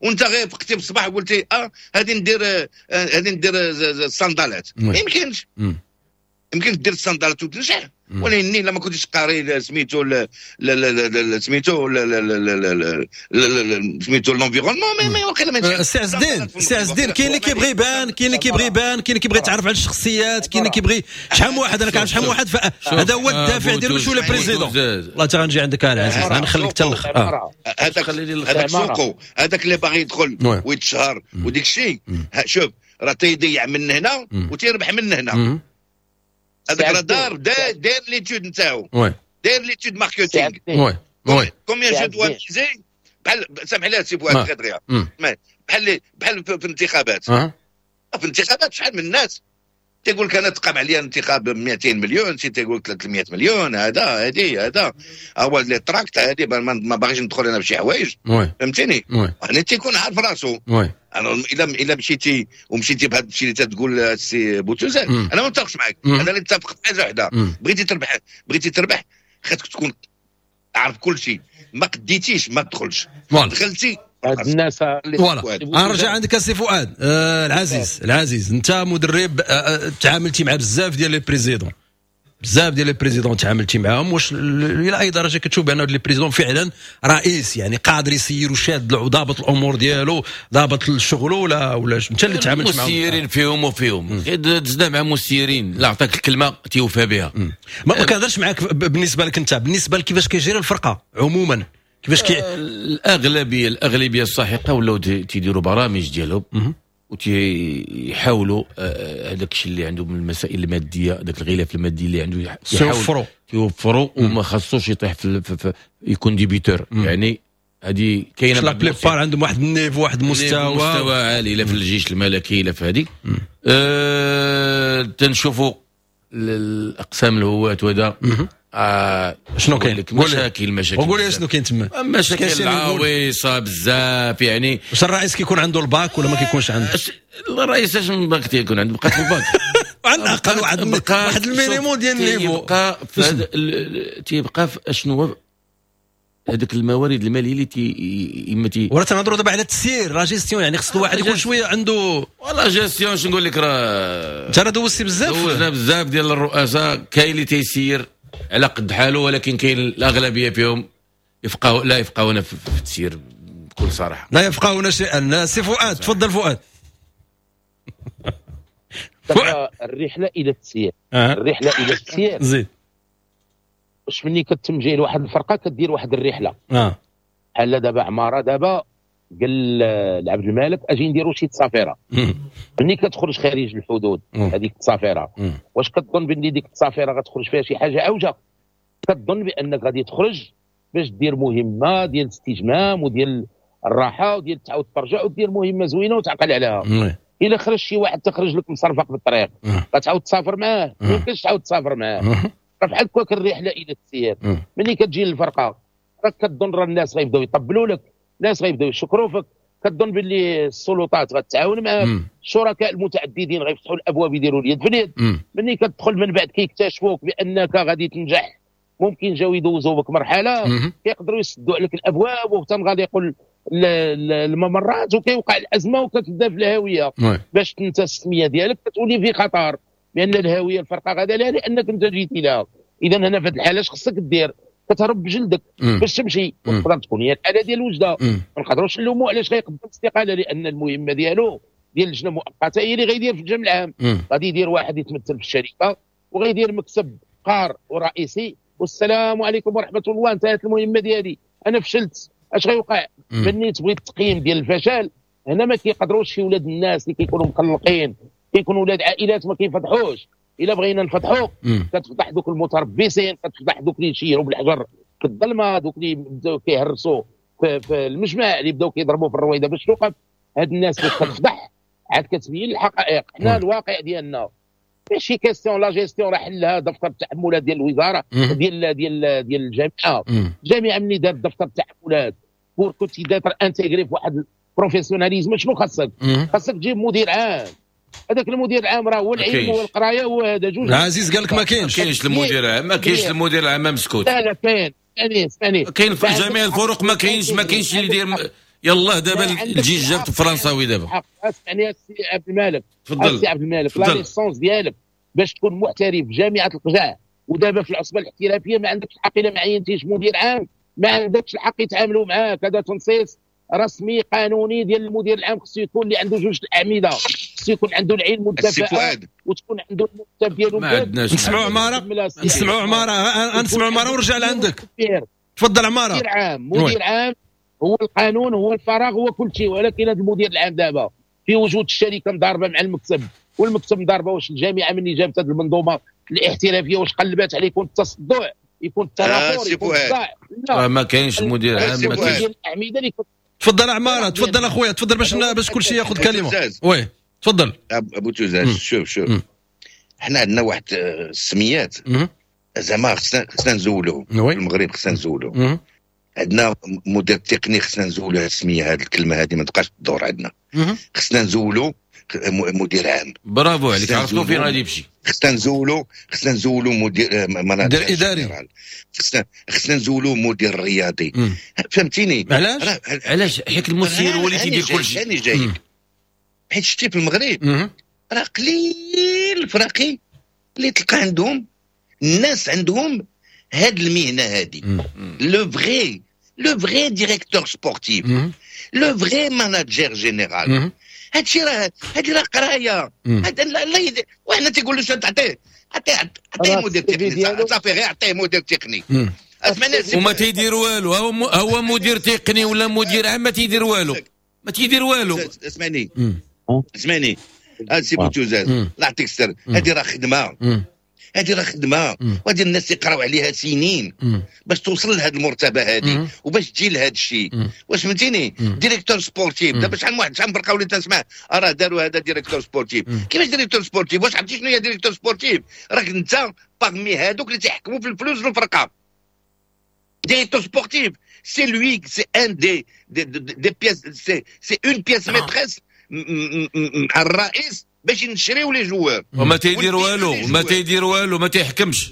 وانت غير فقتي في الصباح وقلتي اه هادي ندير هادي ندير الصندالات. ما يمكنش، يمكن دير الصندالات وتنجح، ولكن الا ما كنتيش قاري سميتو سميتو سميتو l'environnement ما واقيلا ما نجحش. سي عز الدين، سي عز الدين، كاين اللي كيبغي يبان، كاين اللي كيبغي يبان، كاين اللي كيبغي يتعرف على الشخصيات، كاين اللي كيبغي شحال من واحد. انا كنعرف شحال من واحد، هذا هو الدافع ديالو باش ولا président. والله حتى غنجي عندك العزيز، غنخليك حتى الاخر. هذاك هذاك سوقو، هذاك اللي باغي يدخل ويتشهر وديك الشيء، شوف راه تيضيع من هنا وتيربح من هنا. هذاك راه دار داير l'étude نتاعو، داير l'étude marketing. oui oui combien je dois miser. بحال سامح لي سي فؤاد غدريا، بحال بحال في الانتخابات، في الانتخابات شحال من الناس تيقول لك انا تقام عليا انتخاب مئتين مليون، شي تيقول لك ثلاثمئة مليون، هذا هذه هذا هو les tracts هذه، ما باغيش ندخل انا بشي حوايج، فهمتيني؟ يعني تيكون عارف راسو. انا الا الا مشيتي ومشيتي بهذا الشيء اللي تقول السي بوتوزان، انا ما متفقش معاك. انا اللي متفق في حاجة وحده، بغيتي تربح، بغيتي تربح خاصك تكون عارف كل شيء. ما قديتيش ما تدخلش، دخلتي هاد الناس. voilà نرجع عندك السي فؤاد. آه العزيز، العزيز انت مدرب، آه تعاملتي مع بزاف ديال les présidents، بزاف ديال les présidents تعاملتي معاهم، واش الى اي درجه كتشوف بان les présidents فعلا رئيس يعني قادر يسير وشاد وضابط الامور ديالو، ضابط الشغل، ولا ولا انت اللي تعاملت معاهم؟ مسيرين فيهم وفيهم، دزنا مع مسيرين لا عطاك الكلمة تيوفى بها. ما كنهضرش معاك بالنسبة لك انت، بالنسبة لكيفاش كيجري الفرقة عموما، كيفاش كي الاغلبية الاغلبية الساحقة ولاو تيديروا برامج ديالهم وتيحاولوا هذاك الشيء اللي عندهم من المسائل المادية، هذاك الغلاف المادي اللي عنده يوفروا يوفروا، وما خصوش يطيح في, في, في يكون débiteur. يعني هذه كاينه la plupart عندهم واحد ال niveau، واحد المستوى، مستوى عالي، لا في الجيش الملكي لا في هذه. أه تنشوفوا الاقسام الهواة وهذا آه شنو كاين؟ مشاكل مشاكل وقول لي شنو كاين تما؟ مشاكل عويصة بزاف. يعني واش الرئيس كيكون عنده الباك ولا ما كيكونش عنده؟ الرئيس اش من باك تيكون عنده؟ بقات في الباك على الاقل واحد واحد ال minimum ديال ال niveau. تيبقى في تيبقى في اشنو هذوك الموارد المالية اللي تي اما تي وراه تنهضروا دابا على التسيير la gestion، يعني خص الواحد يكون شوية عنده ولا gestion. شنو نقول لك، راه انت راه دوزتي بزاف، دوزنا بزاف ديال الرؤساء، كاين اللي تيسير على قد حاله، ولكن كاين الاغلبية فيهم يفقهوا لا يفقهون في التسيير بكل صراحة، لا يفقهون شيئا. سي فؤاد تفضل. فؤاد الرحلة الى التسيير، الرحلة الى التسيير زيد. واش ملي كتم جاي لواحد الفرقة كدير واحد الرحلة، اه بحال دابا عمارة دابا قال لعبد الملك اجي نديروا شي تصافيره. ملي كتخرج خارج الحدود هذيك التصافيره، واش كتظن باللي ديك التصافيره غتخرج فيها شي حاجة عوجه؟ كتظن بانك غادي تخرج باش دير مهمة ديال الاستجمام وديال الراحة وديال تعاود ترجع ودير مهمة زوينة وتعقل عليها. الا خرج شي واحد تخرج لك مصرفق في الطريق غتعاود تسافر معاه؟ ما يمكنش تعاود تسافر معاه. راه بحال هكاك الرحلة الى التسيير. ملي كتجي للفرقة راك كتظن راه الناس غيبداو يطبلوا لك، الناس غيبداو يشكروا فيك، كتظن باللي السلطات غتعاون معاك، الشركاء المتعددين غيفتحوا الابواب يديروا اليد في اليد. ملي كتدخل من بعد كيكتشفوك بانك غادي تنجح، ممكن جاو يدوزوا بك مرحلة كيقدروا يسدوا عليك الابواب وتنغلقوا الممرات وكيوقع الازمة وكتبدا في الهاوية. باش انت السمية ديالك كتولي في خطر، لان الهاوية الفرقة غادا لها لانك انت جيتي لها. اذا هنا في هذه الحالة اش خصك دير؟ كتهرب بجلدك باش تمشي. وتقدر تكون هي الحالة ديال وجده، ما نقدروش نلوموا علاش غيقدم استقالة، لان المهمة ديالو ديال اللجنة المؤقتة هي اللي غيدير في الجمع العام. غادي يدير واحد يتمثل في الشركة وغيدير مكتب قار ورئيسي، والسلام عليكم ورحمة الله، انتهت المهمة ديالي، انا فشلت. اش غيوقع؟ ملي تبغي التقييم ديال الفشل هنا ما كيقدروش شي ولاد الناس اللي كيكونوا مقلقين، كيكونوا ولاد عائلات ما كيفضحوش. الا بغينا نفضحوا كتفضح دوك المتربصين، كتفضح دوك اللي يشيروا بالحجر في الظلمة، دوك اللي بداو كيهرسوا في, في المجمع، اللي بداو كيضربوا في الرويده باش توقف. هاد الناس باش كتفضح عاد كتبين الحقائق. حنا الواقع ديالنا ماشي question la gestion، راه حلها دفتر التحملات ديال الوزارة ديال ديال ديال الجامعة. الجامعة ملي دارت دفتر التحملات pour que tu d'être intégré في واحد professionnalisme، شنو خاصك؟ خاصك تجيب مدير عام. هذاك المدير العام راه هو العلم والقرايه وهذا جوج. العزيز قال لك ما كاينش، ما كاينش المدير العام، ما كاينش المدير العام مسكوت. لا لا كاين، ثاني ثاني كاين في جميع الفرق، ما كاينش ما كاينش اللي يدير. يلاه دابا الجيش جابت فرنساوي دابا. اسمعني السي عبد الملك، تفضل السي عبد الملك، la licence ديالك باش تكون محترف في جامعه القجع ودابا في العصبة الاحترافية ما عندكش الحق الا ما عينتيش مدير عام، ما عندكش الحق يتعاملوا معاك. هذا تنصيص رسمي قانوني ديال المدير العام، خصو يكون اللي عنده جوج الاعمدة، خصو يكون عنده العلم والكفاءة وتكون عنده المكتب ديالو. ما عندناش. نسمعوا عمارة، نسمعوا عمارة، نسمعوا عمارة ونرجع لعندك. تفضل عمارة. مدير عام، مدير عام هو القانون، هو الفراغ، هو كل شيء. ولكن هذا المدير العام دابا في وجود الشركة مضاربة مع المكتب والمكتب مضاربة، واش الجامعة مني جابت هذه المنظومة الاحترافية واش قلبات عليه يكون التصدع، يكون التنافر، يكون الصداع؟ لا ما كاينش مدير عام، ما كاينش. تفضل عمارة، تفضل اخويا، تفضل باش باش كل شيء ياخذ كلمة. oui تفضل ابو توزاز. شوف شوف حنا عندنا واحد السميات زعما خصنا خصنا نزولوهم في المغرب، خصنا نزولوهم. عندنا مدير تقني خصنا نزولو هذه السمية، هذه الكلمة هذه ما تبقاش تدور عندنا. خصنا نزولو مدير عام. برافو عليك، عرفتو فين غادي يمشي. خصنا نزولو خصنا نزولو مدير مدير اداري، خصنا خصنا نزولو مدير رياضي. فهمتيني علاش؟ علاش؟ حيت المسير هو اللي تيدير كلشي. انا جايك حيت شتي في المغرب راه قليل الفراقي اللي تلقى عندهم الناس عندهم هاد المهنة هادي، le vrai le vrai directeur sportif، le vrai manager général. هادشي راه هادي راه قرايه. هذا لا لا وحنا تيقول له شنو تعطيه؟ عطية عطية مدير تقني صافي، غير عطية مدير تقني. وما تيدير والو، هو هو مدير تقني ولا مدير عام ما تيدير والو، ما تيدير والو. اسمعني اسمعني السي بوتوزاز، الله يعطيك السر، هادي راه خدمة، هذه راه خدمة، وهذه الناس يقراو عليها سنين باش توصل لهذه المرتبة هذه وباش تجي لهذا الشيء. واش فهمتيني؟ directeur sportif دابا شحال من واحد، شحال من فرقه وليت نسمع راه داروا هذا directeur sportif. كيفاش directeur sportif؟ واش عرفتي شنو هي directeur sportif؟ راك انت parmi هذوك اللي تيحكموا في الفلوس في الفرقة. directeur sportif c'est lui، c'est un des des des pièces، c'est c'est une pièce maîtresse مع الرئيس باش نشريو les joueurs. وما تيدير والو، وما تيدير والو، ما تيحكمش.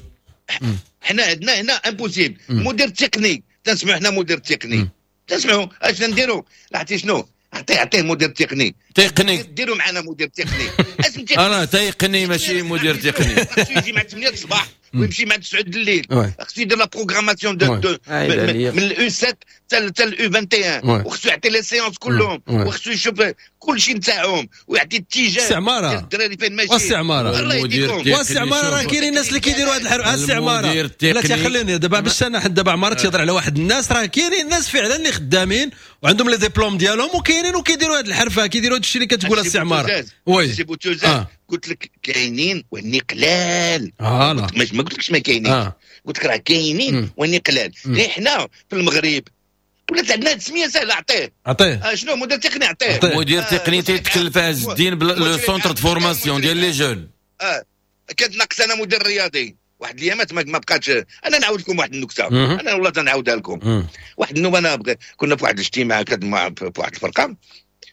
حنا عندنا هنا impossible. مدير تقني تنسمعوا حنا مدير تقني تنسمعوا اش نديروا؟ عرفتي شنو؟ عطية عطية مدير تقني تقني، ديروا معنا مدير تقني. انا تقني ماشي مدير تقني. يجي مع ثمانية الصباح ويمشي مع تسعة الليل، خصو يدير la programmation de من ال U سبعة حتى ال U واحد وعشرين، وخصو يعطي les séances كلهم، وخصو يشوف كل شيء نتاعهم ويعطي اتجاه السي عمارة الدراري فين ماشي. والسي عمارة والسي عمارة راه كاينين الناس اللي كيديروا هذا الحرب. السي عمارة لا تخليني دابا باش انا دابا عمارة تيهضر على واحد الناس، راه كاينين الناس فعلا اللي خدامين وعندهم les diplômes ديالهم وكاينين وكيديروا هذه الحرفة، كيديروا هذا الشيء اللي كتقول السي عمارة. oui سي بوتوزاز، قلت لك كاينين واني قلال. آه ما قلتلكش ما كاينين، آه. قلت لك راه كاينين واني قلال. غير حنا في المغرب ولات عندنا تسميه سهلة، عطية عطية آه شنو مدير تقني، عطية مدير تقني تيتكلف عز الدين le centre de formation ديال les jeunes. اه كانت ناقص انا مدير رياضي واحد الايامات ما بقاتش. انا نعاود لكم واحد النكتة، انا والله تنعاودها لكم. واحد النوبة انا كنا في واحد الاجتماع مع في واحد الفرقة،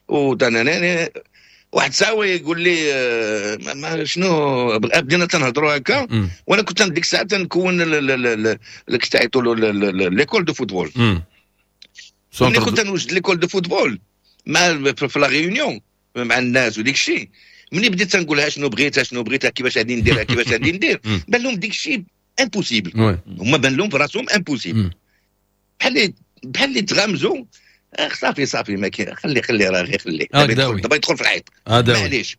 ودانا واحد ساعة يقول لي ما شنو بدينا تنهضروا هكا، وانا كنت ديك الساعة تنكون اللي تعيطوا له l'école de football. ملي كنت نوجد l'école de football مع في la réunion مع الناس وديك الشيء، ملي بديت تنقولها شنو بغيتها شنو بغيتها كيفاش غادي نديرها كيفاش غادي ندير، بان لهم ديك الشيء impossible. هما بان لهم في راسهم impossible، بحال بحال اللي تغامزوا. صافي صافي ما كاين، خلي خلي راه غير خلي دابا يدخل في الحيط. معليش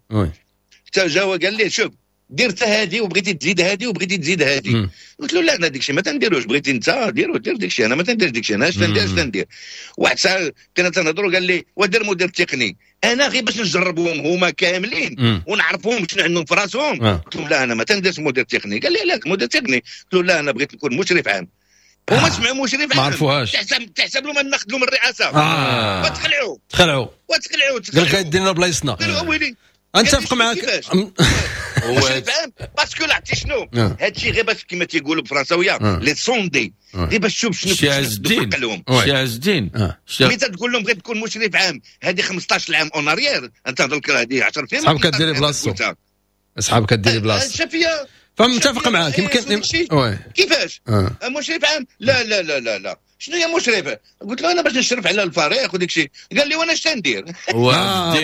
حتى جا قال لي شوف دير حتى هادي وبغيتي تزيد هادي وبغيتي تزيد هادي. قلت له لا انا داك الشيء ما تنديروش، بغيتي انت ديرو دير داك الشيء، انا ما تنديرش داك الشيء، انا اش تندير اش تندير. واحد الساعة كنا تنهضروا قال لي ودير مدير تقني، انا غير باش نجربهم هما كاملين ونعرفهم شنو عندهم في راسهم. قلت له لا انا ما تنديرش مدير تقني. قال لي لا مدير تقني. قلت له لا انا بغيت نكون مشرف عام. هما سمعوا مشرف عام ما عرفوهاش، تحسب تحسب لهم ناخذ لهم الرئاسة. آه. وتخلعوا تخلعوا وتخلعوا قال لك غيدينا بلايصنا. قالوا ويلي نتفق معاك مشرف عام parce que عرفتي شنو هادشي غير باش كما تيقولوا بالفرنساويه les sonder، غير باش تشوف شنو شي عز الدين شي عز الدين. ملي تقول لهم بغيت تكون مشرف عام هذه خمسطاش عام en arrière، انت هضر هذه عشر سنين صحابك كديري بلاصتو، صحابك كديري بلاصتو. شافيه فمتفق معاك يمكن. oui كيفاش مشرف عام؟ لا لا لا لا لا شنو هي مشرفة؟ قلت له انا باش نشرف على الفريق وديك الشيء. قال لي وانا اش تندير؟ هو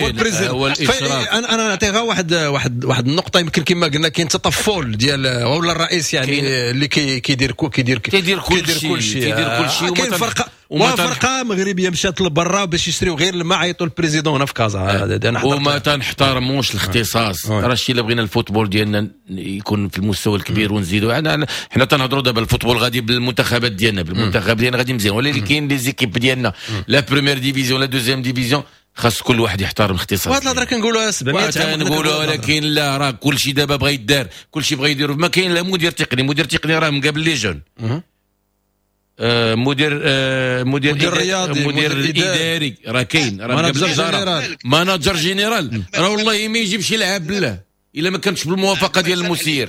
ال président. انا انا نعطي غير واحد واحد واحد النقطة، يمكن كما قلنا كاين تطفل ديال ولا الرئيس يعني اللي كيدير كيدير كيدير كل شيء كيدير كل شيء. كاين فرقه وفرقه مغربية مشات لبرا باش يشريو غير الماء، عيطوا ال président هنا في كازا. وما تنحترموش الاختصاص. راه الشيء اللي بغينا ال football ديالنا يكون في المستوى الكبير ونزيدوا. حنا حنا تنهضروا دابا ال football غادي بالمنتخبات ديالنا، بالمنتخب ديالنا غادي مزيان، ولكن كاين les équipes ديالنا la première division la deuxième division، خاص كل واحد يحترم الاختصاص. وهاد الهضرة كنقولوها سبعمية عام كنقولوها، ولكن لا راه كل شيء دابا بغى يدار، كل شيء بغى يدير. ما كاين لا مدير تقني، مدير تقني راه مقابل les jeunes، آه مدير آه مدير مدير رياضي، مدير اداري راه كاين، راه manager général، manager général راه والله ما يجيب شي لاعب بالله الا ما كانتش بالموافقة ديال المسير.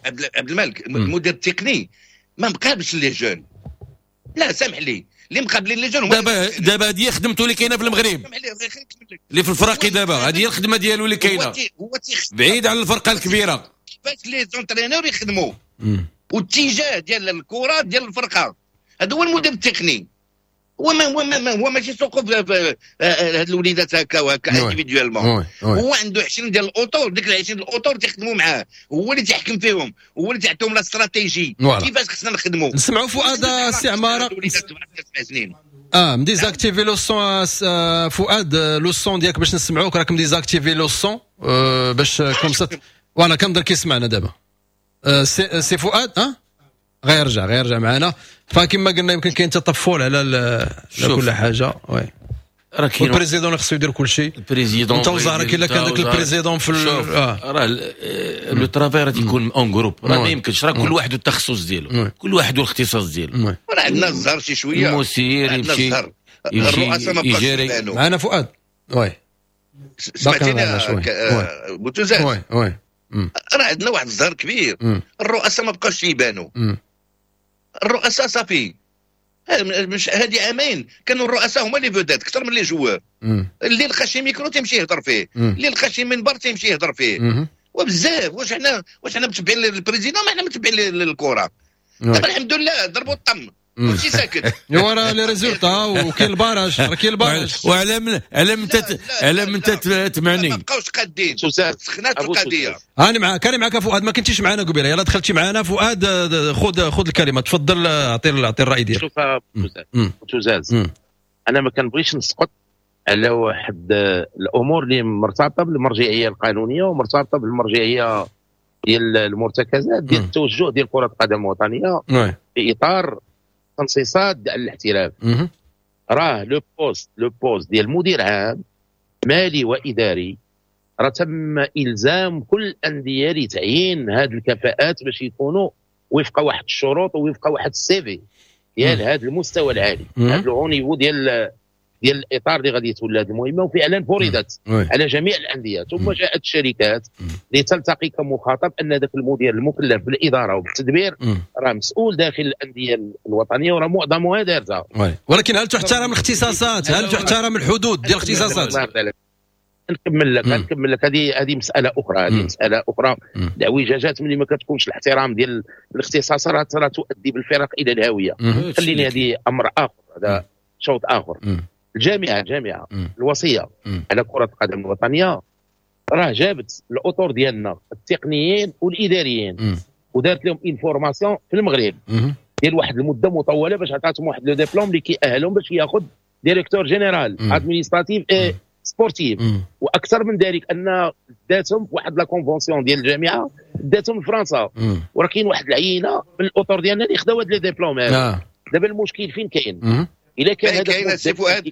عبد الملك المدير التقني ما مقابلش les jeunes، لا سامح لي اللي مقابلين les jeunes دابا دابا هذه خدمته اللي كاينه في المغرب، اللي في الفراقي دابا هذه هي الخدمة ديالو اللي كاينه بعيد على الفرقة الكبيرة. كيفاش les entraîneurs يخدموا واتجاه ديال الكره ديال الفرقة، هذا هو المدير التقني. هو ما هو ما هو ماشي سوقو هاد الوليدات هكا وهكا individuellement، هو عنده عشرين ديال الاطر، ديك ال عشرين الاطر تيخدموا معاه، هو اللي تيحكم فيهم، هو اللي تيعطيهم la stratégie كيفاش خصنا نخدموا. نسمعوا فؤاد السي عمارة. اه م désactivé le son فؤاد، le son ديالك باش نسمعوك، راك م désactivé le son باش comme ça voilà كنظن كيسمعنا دابا سي, سي فؤاد. اه غيرجع غيرجع معنا. فكما قلنا يمكن كاين تطفل على على كل حاجة. oui راه كاين ال président خصو يدير كل شيء. ال président انت وزهرك الا كان داك ال président في آه. راه le travail راه تيكون en groupe، راه ما يمكنش، راه كل واحد والتخصص ديالو، كل واحد والاختصاص ديالو. راه عندنا الزهر شي شوية، المسير يمشي الرؤساء ما بقاش معنا فؤاد. oui سمعتيني بوتوزات؟ oui oui راه عندنا واحد الزهر كبير، الرؤساء ما بقاوش يبانوا. الرؤساء صافي مش هذه عامين كانوا الرؤساء هما les vedettes اكثر من les joueurs. اللي لقى شي ميكرو تيمشي يهضر فيه، اللي لقى شي منبر تيمشي يهضر فيه، وبزاف. واش حنا واش حنا متبعين ال président؟ ما حنا متبعين الكره. دابا الحمد لله ضربوا الطم. كلشي ساكت. ايوا راه les résultats وكاين ال barrage، راه كاين ال barrage. وعلى من على من على من تمعني ما بقاوش قادين، سخنات القضية. انا معاك انا معاك فؤاد، ما كنتيش معنا قبيلة، يلا دخلتي معنا فؤاد، خذ خذ الكلمة، تفضل اعطي اعطي الراي ديالك. شوف توزاز، انا ما كنبغيش نسقط على واحد الامور اللي مرتبطة بالمرجعيه القانونية ومرتبطة بالمرجعيه ديال المرتكزات ديال التوجه ديال كره القدم الوطنية في اطار تنصيصات ديال الاحتراف. راه le poste le poste ديال مدير عام مالي واداري راه تم الزام كل الاندية لتعيين هذه الكفاءات باش يكونوا وفق واحد الشروط ووفق واحد ال CV ديال هذا المستوى العالي، هذا le niveau ديال ديال الاطار اللي غادي يتولى هذه المهمة، وفعلا فرضت على جميع الاندية. ثم جاءت الشركات لتلتقي كمخاطب ان ذاك المدير المكلف بالادارة وبالتدبير راه مسؤول داخل الاندية الوطنية وراه معظمها دارتها. ولكن هل تحترم الاختصاصات؟ هل تحترم الحدود ديال الاختصاصات؟ نكمل لك نكمل لك هذه هذه مسالة اخرى، هذه مسالة اخرى. الاعوجاجات ملي ما كتكونش الاحترام ديال الاختصاصات راه تؤدي بالفرق الى الهاوية. خليني هذه امر اخر، هذا شوط اخر. الجامعة الجامعة الوصية مم. على كره القدم الوطنية راه جابت الاطر ديالنا التقنيين والاداريين مم. ودارت لهم une formation في المغرب ديال واحد المدة مطولة باش عطاتهم واحد le diplôme اللي كيأهلهم باش ياخذ directeur général administratif et sportif. واكثر من ذلك ان داتهم واحد la convention ديال الجامعة داتهم لفرنسا، وراه كاين واحد العينة من الاطر ديالنا اللي خداو هاد les diplômes. آه. دابا المشكل فين كاين؟ الا كان هذاك سي فؤاد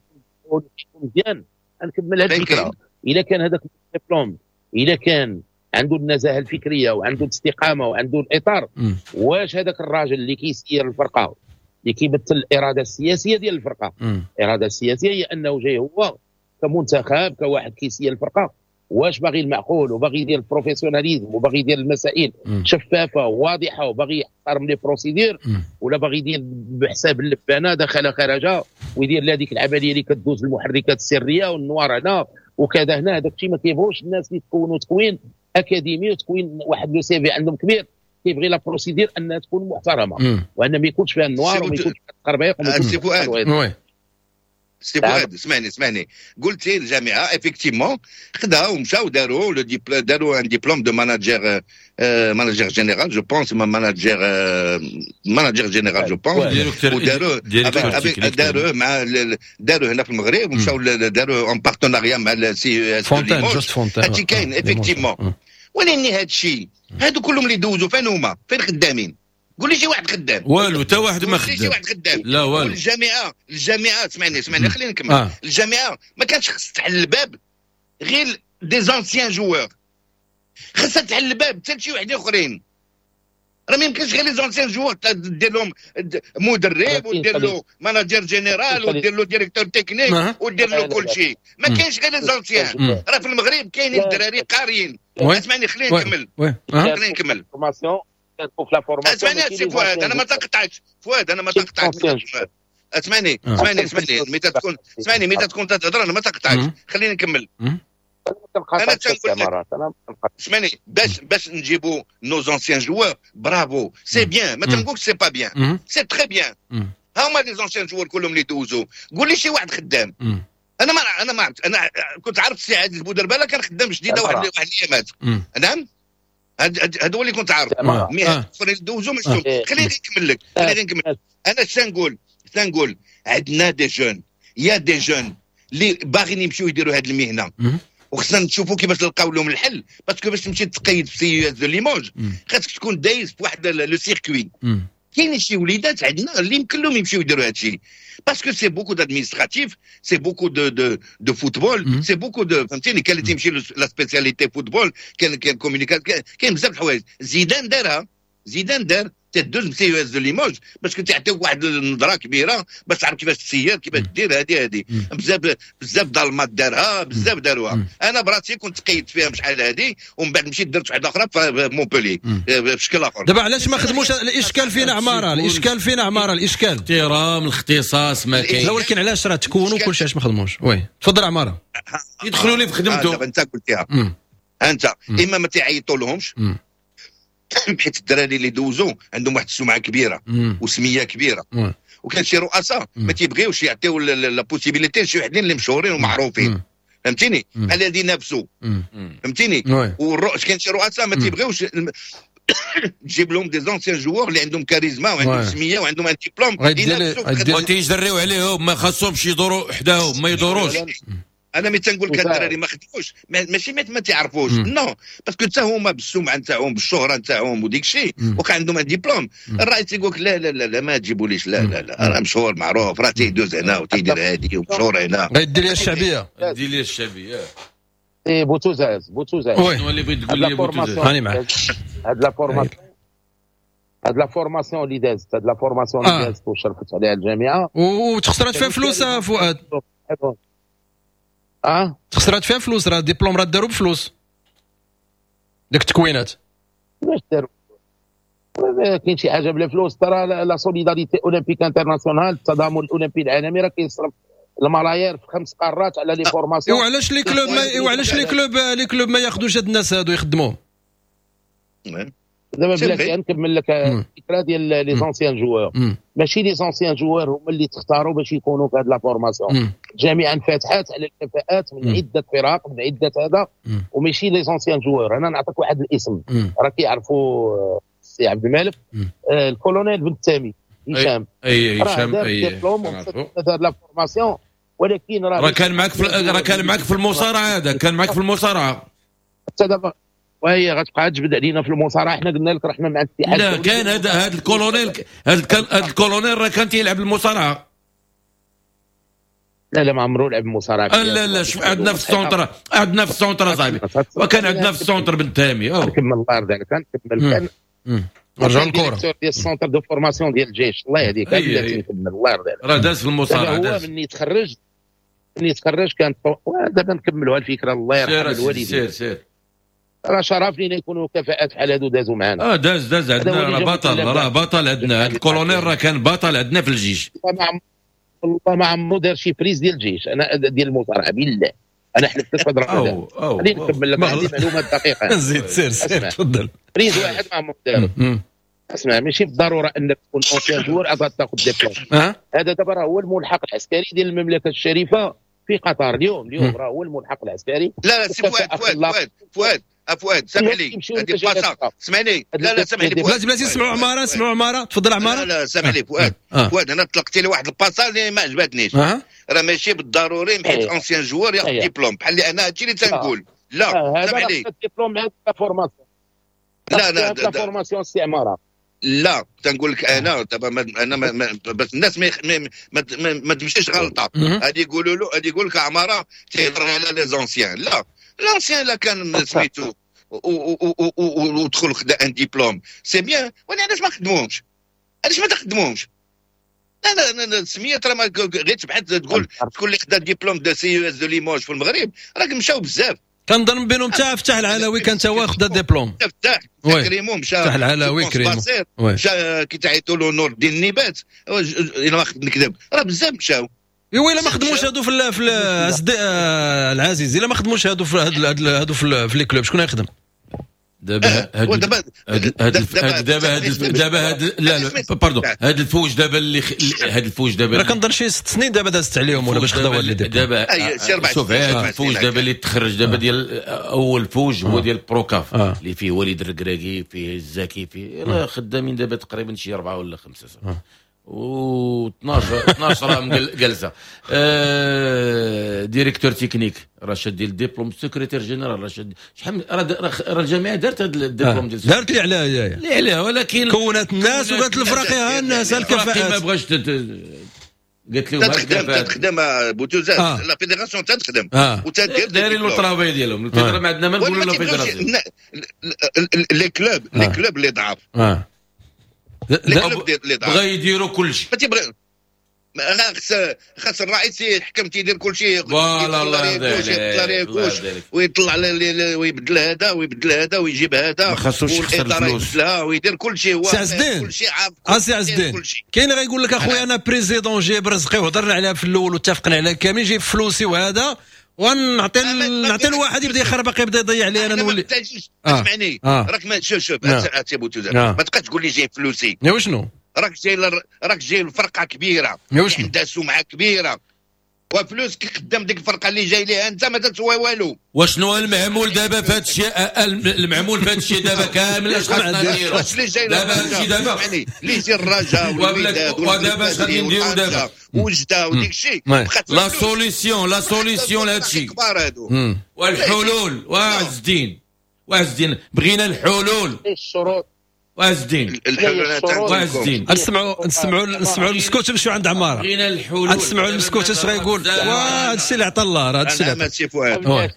مزيان نكمل هذه الفكرة، الا كان هذاك الدبلوم الا كان عنده النزاهة الفكرية وعنده الاستقامة وعنده الاطار، واش هذاك الراجل اللي كيسير الفرقة اللي كيمثل الارادة السياسية ديال الفرقة، الارادة السياسية هي انه جاي هو كمنتخب كواحد كيسير الفرقة، واش باغي المعقول وباغي يدير ال professionnalisme وباغي يدير المسائل شفافة وواضحة وباغي يحترم les procédures، ولا باغي يدير بحساب اللبانه دخل خرج ويدير لا ديك العملية اللي كدوز المحركات السرية وال noir هنا وكذا هنا. هذاك الشيء ما كيبغوش الناس اللي تكونوا تكوين اكاديمي وتكوين واحد le CV عندهم كبير، كيبغي la procédure انها تكون محترمه وان ما يكونش فيها ال noir وما يكونش فيها التقربيق وما يكونش فيها. سي فؤاد اسمعني اسمعني، قلتي الجامعة effectivement خداو ومشاو داروا le diplôme، داروا un diplôme de manager manager général je pense، manager manager général je pense، وداروه داروه مع داروه هنا في المغرب ومشاو داروه en partenariat مع ال CES فونتين جوست فونتين. هادشي كاين effectivement، ولكن هادشي هادو كلهم اللي دوزوا فين هما؟ فين خدامين؟ قول لي شي واحد خدام. والو حتى واحد ما خدام. شي واحد خدام. لا والو. الجامعة الجامعة اسمعني اسمعني خليني نكمل. آه. الجامعة ما كانش خص تحل الباب غير des anciens joueurs، خصها تحل الباب حتى لشي وحدين اخرين. راه ما يمكنش غير les anciens joueurs دير لهم مدرب ودير له manager général ودير له directeur technique ودير له كل شيء. ما كاينش غير les anciens، راه في المغرب كاينين الدراري قاريين. اسمعني خليني نكمل خليني نكمل. اسمعني سي فؤاد، انا ما تقطعكش فؤاد، انا ما تقطعكش. اسمعني اسمعني اسمعني متى تكون اسمعني متى تكون تهضر انا ما تقطعكش، خليني نكمل. انا تنقول لك اسمعني، باش باش نجيبوا nos anciens joueurs، bravo c'est bien، ما تنقولش c'est pas bien، c'est très bien. ها هما les anciens joueurs كلهم اللي دوزوا، قول لي شي واحد خدام. انا ما انا ما عرفت، انا كنت عارف السي عزيز بودرباله كان خدام جديدة واحد واحد الايامات. نعم هذا هو اللي كنت عارف، mais الاخرين دوزو ما شفتهم. خليني نكمل لك خليني نكمل. انا شنقول شنقول عندنا des jeunes، y a des jeunes اللي باغيين يمشيو يديروا هذه المهنة، وخصنا نشوفوا كيفاش نلقاو لهم الحل. parce que باش تمشي تقيد في CES de Limoges خاصك تكون دايز في واحد le circuit. كاين شي وليدات عندنا اللي يمكن لهم يمشيو يديروا هذا الشيء، parce que c'est beaucoup d'administratif، c'est beaucoup de de de football، c'est beaucoup de فهمتيني. كاين اللي تيمشي la spécialité football، كاين كاين communication، كاين بزاف الحوايج. زيدان دارها، زيدان دار تدوز CES de Limoges باش كتعطيك واحد النظرة كبيرة باش تعرف كيفاش تسير كيفاش دير هذه هذه. بزاف بزاف دالمات دارها، بزاف داروها. انا براسي كنت قيدت فيها شحال هذه، ومن بعد مشيت درت واحدة اخرى في مونبولي بشكل اخر. دابا علاش ما خدموش؟ الاشكال فينا عمارة، الاشكال فينا عمارة، الاشكال احترام الاختصاص ما كاين. لا ولكن علاش راه تكونوا كلشي علاش ما خدموش؟ oui تفضل عمارة. يدخلوا لي في خدمته. دابا انت قلتيها انت، اما ما تعيطوا لهمش حيت الدراري اللي دوزوا عندهم واحد السمعة كبيرة. مم. وسميه كبيرة. مم. وكاين شي رؤساء ما تيبغيوش يعطيو la possibilité لشي وحدين اللي مشهورين ومعروفين، فهمتيني؟ بحال هادي نافسوا، فهمتيني؟ والرؤس كاين شي رؤساء ما تيبغيوش تجيب لهم des anciens joueurs اللي عندهم كاريزما وعندهم سميه وعندهم un diplôme، وتيجريو عليهم، ما خاصهمش يدوروا حداهم، ما يدوروش. انا ملي تنقول لك الدراري ما خدموش، ماشي ما تعرفوش، non، parce que حتى هما بالسمعه نتاعهم بالشهره نتاعهم وديك الشيء وكان عندهم un diplôme، الرئيس يقول لك لا لا لا لا ما تجيبوليش، لا لا لا راه مشهور معروف، راه تيدوز هنا وتيدير هادي ومشهور هنا. غيدير لي الشعبية، دير لي الشعبية. اي بوتوزاز بوتوزاز شنو اللي بغيت تقول لي بوتوزاز؟ هاني معاك. هاد la formation هاد la formation اللي دازت، هاد la formation اللي دازت وشرفت عليها الجامعة وتخسرات فيها فلوس فؤاد. اه تخسرات فيها فلوس، راه ديبلوم راه داروا بفلوس ديك التكوينات. باش داروا؟ كاين شي حاجة بلا فلوس؟ ترى la solidarité olympique internationale، التضامن الاولمبي العالمي، راه كيصرف الملايير في خمس قارات على les formations. وعلاش les clubs ما وعلاش les clubs les clubs ما ياخذوش هاد الناس هادو يخدموهم؟ دابا بلاتي نكمل لك الفكرة ديال les anciens joueurs. ماشي les anciens joueurs هما اللي تختاروا باش يكونوا في هاد la formation. الجامعة انفتحات على الكفاءات من عده فرق، من عده هذا، وماشي les anciens joueurs. انا نعطيك واحد الاسم راه كيعرفوا السي عبد المالك، آه الكولونيل بن التامي هشام. اي هشام، اي دار la formation، ولكن راه كان معك في راه كان معك في المصارعة، هذا كان معك في المصارعة حتى دابا، وهي غتبقى تجبد علينا في المصارعة. حنا قلنا لك راه حنا مع الاتحاد. لا كان هذا هذا الكولونيل، هذا هذا الكولونيل راه كان تيلعب المصارعة. لا لا ما عمرو لعب المصارعة. لا لا شوف عندنا في ال centre، عندنا في ال centre صاحبي، وكان عندنا في ال centre بن تامي. نكمل الله يرضي عليك، نكمل. كان رجع الكره ديال ال centre de formation ديال الجيش، الله يهديك، بلاتي نكمل الله يرضي عليك. راه داز في المصارعة، هو مني تخرج مني تخرج كان دابا نكملوا الفكرة الله يرحم الوالدين. سير سير راه شرف لينا يكونوا كفاءات بحال هادو دازوا معنا. اه داز داز عندنا، راه بطل، راه بطل عندنا هذا الكولونيل، راه كان بطل عندنا في الجيش. والله ما عمرو دار شي prise ديال الجيش، انا ديال المصارعة بالله، انا حلفت لك هاد الرقم. خليني نكمل لك، عندي معلومات دقيقة. زيد سير سير تفضل. prise واحد ما عمرو دارو. اسمع، ماشي بالضرورة انك تكون ancien joueur عاد تاخذ ديبلوم. هذا دابا راه هو الملحق العسكري ديال المملكة الشريفة في قطر اليوم، اليوم راه هو الملحق العسكري. لا لا سي فؤاد فؤاد فؤاد فؤاد سامح لي، هذه بلاصة اسمعني. لا لا سامح لي بلاتي بلاتي، سمعوا عمارة، سمعوا عمارة، تفضل عمارة. لا لا سامح لي فؤاد، فؤاد انا طلقتي لي واحد الباصه اللي ما عجبتنيش. راه ماشي بالضروري حيت ancien joueur ياخذ ديبلوم، بحال اللي انا هادشي اللي تنقول. لا سامح لي، ديبلوم مع la formation. لا لا la formation سي عمارة. لا تنقول لك انا دابا انا ما ما بس الناس ما ما, ما, ما تمشيش غلطه. هادي يقولوا له، هادي يقول لك عمارة تيهضر على les anciens. لا l'ancien لا كان سميتو ودخل خدا un diplôme c'est bien، وانا علاش ما خدموهمش؟ علاش ما تخدموهمش؟ انا السمية راه غير تبحث تقول تقول اللي خدا diplôme de CES de Limoges في المغرب راك مشاو بزاف. كنظن بينهم حتى فتح العلاوي كان تا هو خدا ديبلوم. فتح كريمو مشى، فتح العلاوي كريمو مشى كي تعيطوا له نور الدين النبات، الا ما نكذب راه بزاف مشاو. ايوا الا ما خدموش هادو في في العزيز، الا ما خدموش هادو في هادو في les clubs شكون غيخدم؟ دابا هاد دابا هاد دابا هاد دابا هاد لا لا pardon، هاد الفوج دابا اللي هاد الفوج دابا راه كنظن شي ست سنين دابا دازت عليهم ولا باش خداو هاد دابا. شوف هاد الفوج دابا اللي تخرج دابا ديال اول فوج هو ديال pro CAF اللي فيه وليد الركراكي، فيه الزكي، فيه خدامين دابا تقريبا شي اربعة ولا خمسة و اثناش راه جالسة. آه directeur technique راه شاد ديال ال diplôme، secrétaire général راه شاد شحال، راه الجامعة دارت هذا الدبلوم ديال دارت اللي عليها اللي عليها، ولكن كونت الناس وقالت الفراقي ها الناس الكفاءات ما بغاش قالت لهم تخدم تخدم بوتوزات la fédération تخدم وتدير دايرين le travail ديالهم. ال fédération ما عندنا ما نقولوا la fédération. les clubs les clubs اللي ضعاف بغا يديروا كل شيء، خاص خاص الرئيس يحكم تيدير كل شيء، يطلع ويطلع ويبدل هذا ويبدل هذا ويجيب هذا، ما خاصوش يخسر الفلوس ويدير كل شيء هو كل شيء عارف. سي عز الدين كاين غيقول لك اخويا انا président جايب رزقي وهضرنا عليها في الاول واتفقنا عليها كامل، جايب فلوسي وهذا ونعطي نعطي لواحد يبدا يخربق يبدا يضيع عليا انا نولي. اسمعني راك ما شوف شوف ما تبقاش تقول لي جايب فلوسي. وشنو راك جاي راك جاي لفرقة كبيرة عندها سمعه كبيرة وفلوسك قدام ديك الفرقة اللي جاي ليها انت ما تسوى والو. وشنو المعمول دابا في هذا الشيء؟ المعمول في هذا الشيء دابا كامل اش خاصنا نديرو؟ دابا هادشي دابا اللي يجي الرجاء والوداد ودابا اش غادي نديرو دابا؟ وجده وديك الشيء la solution la solution لهذا الشيء والحلول. وعز الدين وعز الدين بغينا الحلول، الشروط وعز الدين وعز الدين. نسمعوا نسمعوا نسمعوا المسكوت نمشيو عند عمارة. بغينا الحلول. نسمعوا المسكوت اش غايقول. واه هادشي اللي عطى الله، راه هادشي اللي عطى.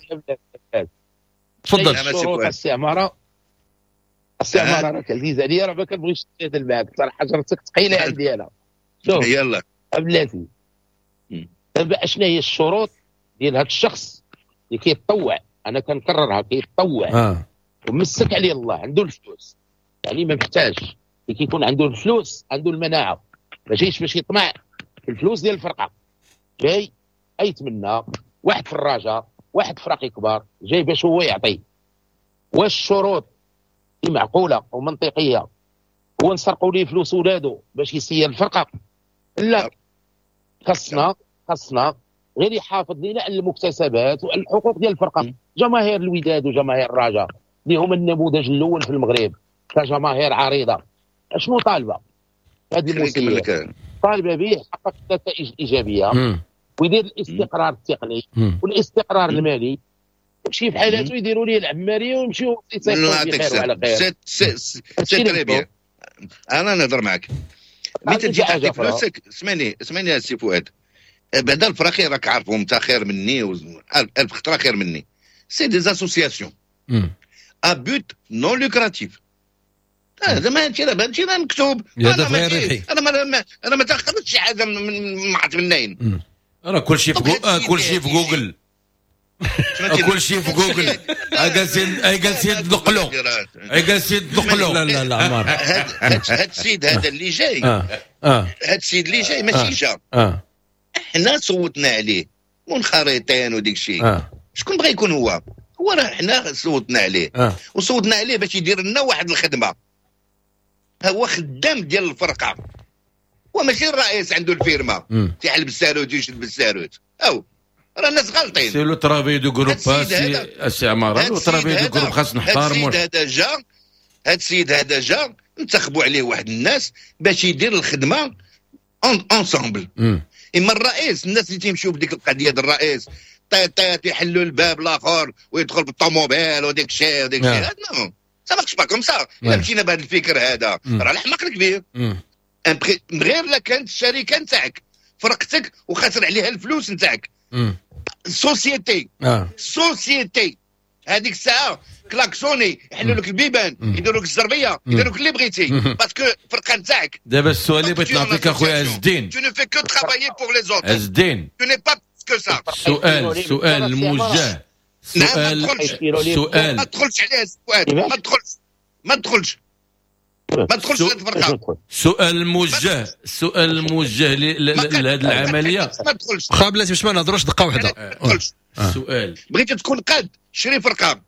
تفضل السي عمارة. السي عمارة راك عزيز عليا، راه ما كنبغيش نتجادل معاك صراحة، حجرتك ثقيلة عندي انا. شوف يلا بلاتي دابا اشنا هي الشروط ديال هذا الشخص اللي كيتطوع؟ انا كنكررها، كيتطوع آه. ومسك عليه الله، عنده الفلوس، يعني ما محتاج. اللي كيكون عنده الفلوس عنده المناعة، ما جايش باش يطمع في الفلوس ديال الفرقة، جاي ايتمنى واحد في الرجاء واحد فراقي كبار، جاي باش هو يعطي. واش الشروط معقولة ومنطقيه هو نسرقوا ليه فلوس ولادو باش يسير الفرقة؟ لا، خصنا خصنا غير يحافظ لنا على المكتسبات وعلى الحقوق ديال الفرقة. جماهير الوداد وجماهير الرجاء اللي هما النموذج الاول في المغرب كجماهير عريضة، اشنو طالبه؟ هذه المسيرة طالبه به يحقق النتائج الايجابية ويدير الاستقرار التقني والاستقرار المالي، يمشي في حالاته يديروا ليه العماريه ويمشيو يصيفطوا بخير وعلى خير. c'est très bien. انا نهضر معك ملي تجي تعطي فلوسك. اسمعني اسمعني يا سي فؤاد، بعدا الفراقي راك عارفهم انت خير مني الف خطره خير مني. c'est des associations à but non lucratif. هذا ما هادشي راه هادشي راه مكتوب. انا ما انا ما انا ما تاخذتش شي حاجة من ما عرفت منين. راه كلشي في كلشي في جوجل، كلشي في جوجل. جالسين جالسين تنقلوا جالسين تنقلوا. لا لا لا عمار، هاد السيد هذا اللي جاي، هاد السيد اللي جاي ماشي جا، حنا صوتنا عليه منخرطين وديك الشيء. شكون بغى يكون هو؟ هو راه حنا صوتنا عليه وصوتنا عليه باش يدير لنا واحد الخدمة. هو خدام ديال الفرقة، هو ماشي الرئيس عنده الفيرما تيحل بالساروت ويشد بالساروت. او راه الناس غالطين. c'est le travail de groupe السي عمارة، le travail de groupe خاص نحتارمو. هاد السيد هذا جا، هاد السيد هذا جا انتخبوا عليه واحد الناس باش يدير الخدمة ensemble. اما الرئيس الناس اللي تيمشيو بديك القضية ديال الرئيس طيط طيط يحلوا الباب الاخر ويدخل بالطوموبيل وديك الشيء وديك الشيء، non ça marche pas comme ça. الا مشينا بهذا الفكر هذا راه الحماق الكبير. غير لا كانت الشركة نتاعك فرقتك وخسر عليها الفلوس نتاعك société société، هذيك الساعة klaxonner يحلوا لك البيبان، يديروا لك الزربيه، يديروا لك اللي بغيتي parce que الفرقة نتاعك. دابا السؤال اللي بغيت نعطيك اخويا عز الدين، tu ne fais que travailler pour les autres. عز الدين tu n'es pas que ça. السؤال السؤال الموجه، سؤال سؤال ما تدخلش عليه السؤال، ما تدخلش ما تدخلش ما تدخلش للفرقة. سؤال موجه، السؤال الموجه لهذه العملية. ما تدخلش خا بلاتي باش ما نهضروش دقه واحدة. السؤال بغيتي تكون قاد شري فرقه،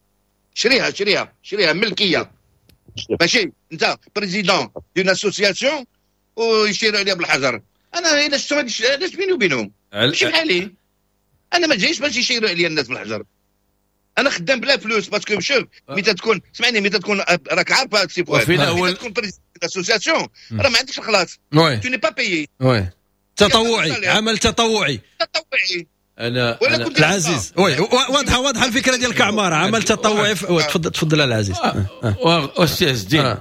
شريها شريها شريها ملكية، ماشي انت président d'une association ويشيروا عليها بالحجر. انا الا شفتهم علاش بيني وبينهم ماشي بحالي، انا ما جايش باش يشيروا عليا الناس بالحجر. انا خدام بلا فلوس parce que شوف ملي تكون اسمعني ملي تكون راك عارف سي فؤاد، ملي تكون président association راه ما عندكش الخلاص، tu n'es pas payé. oui تطوعي، عمل تطوعي تطوعي. انا العزيز oui واضحة واضحة الفكرة ديالك عمارة، عمل تطوعي. تفضل تفضل العزيز. استاذ الدين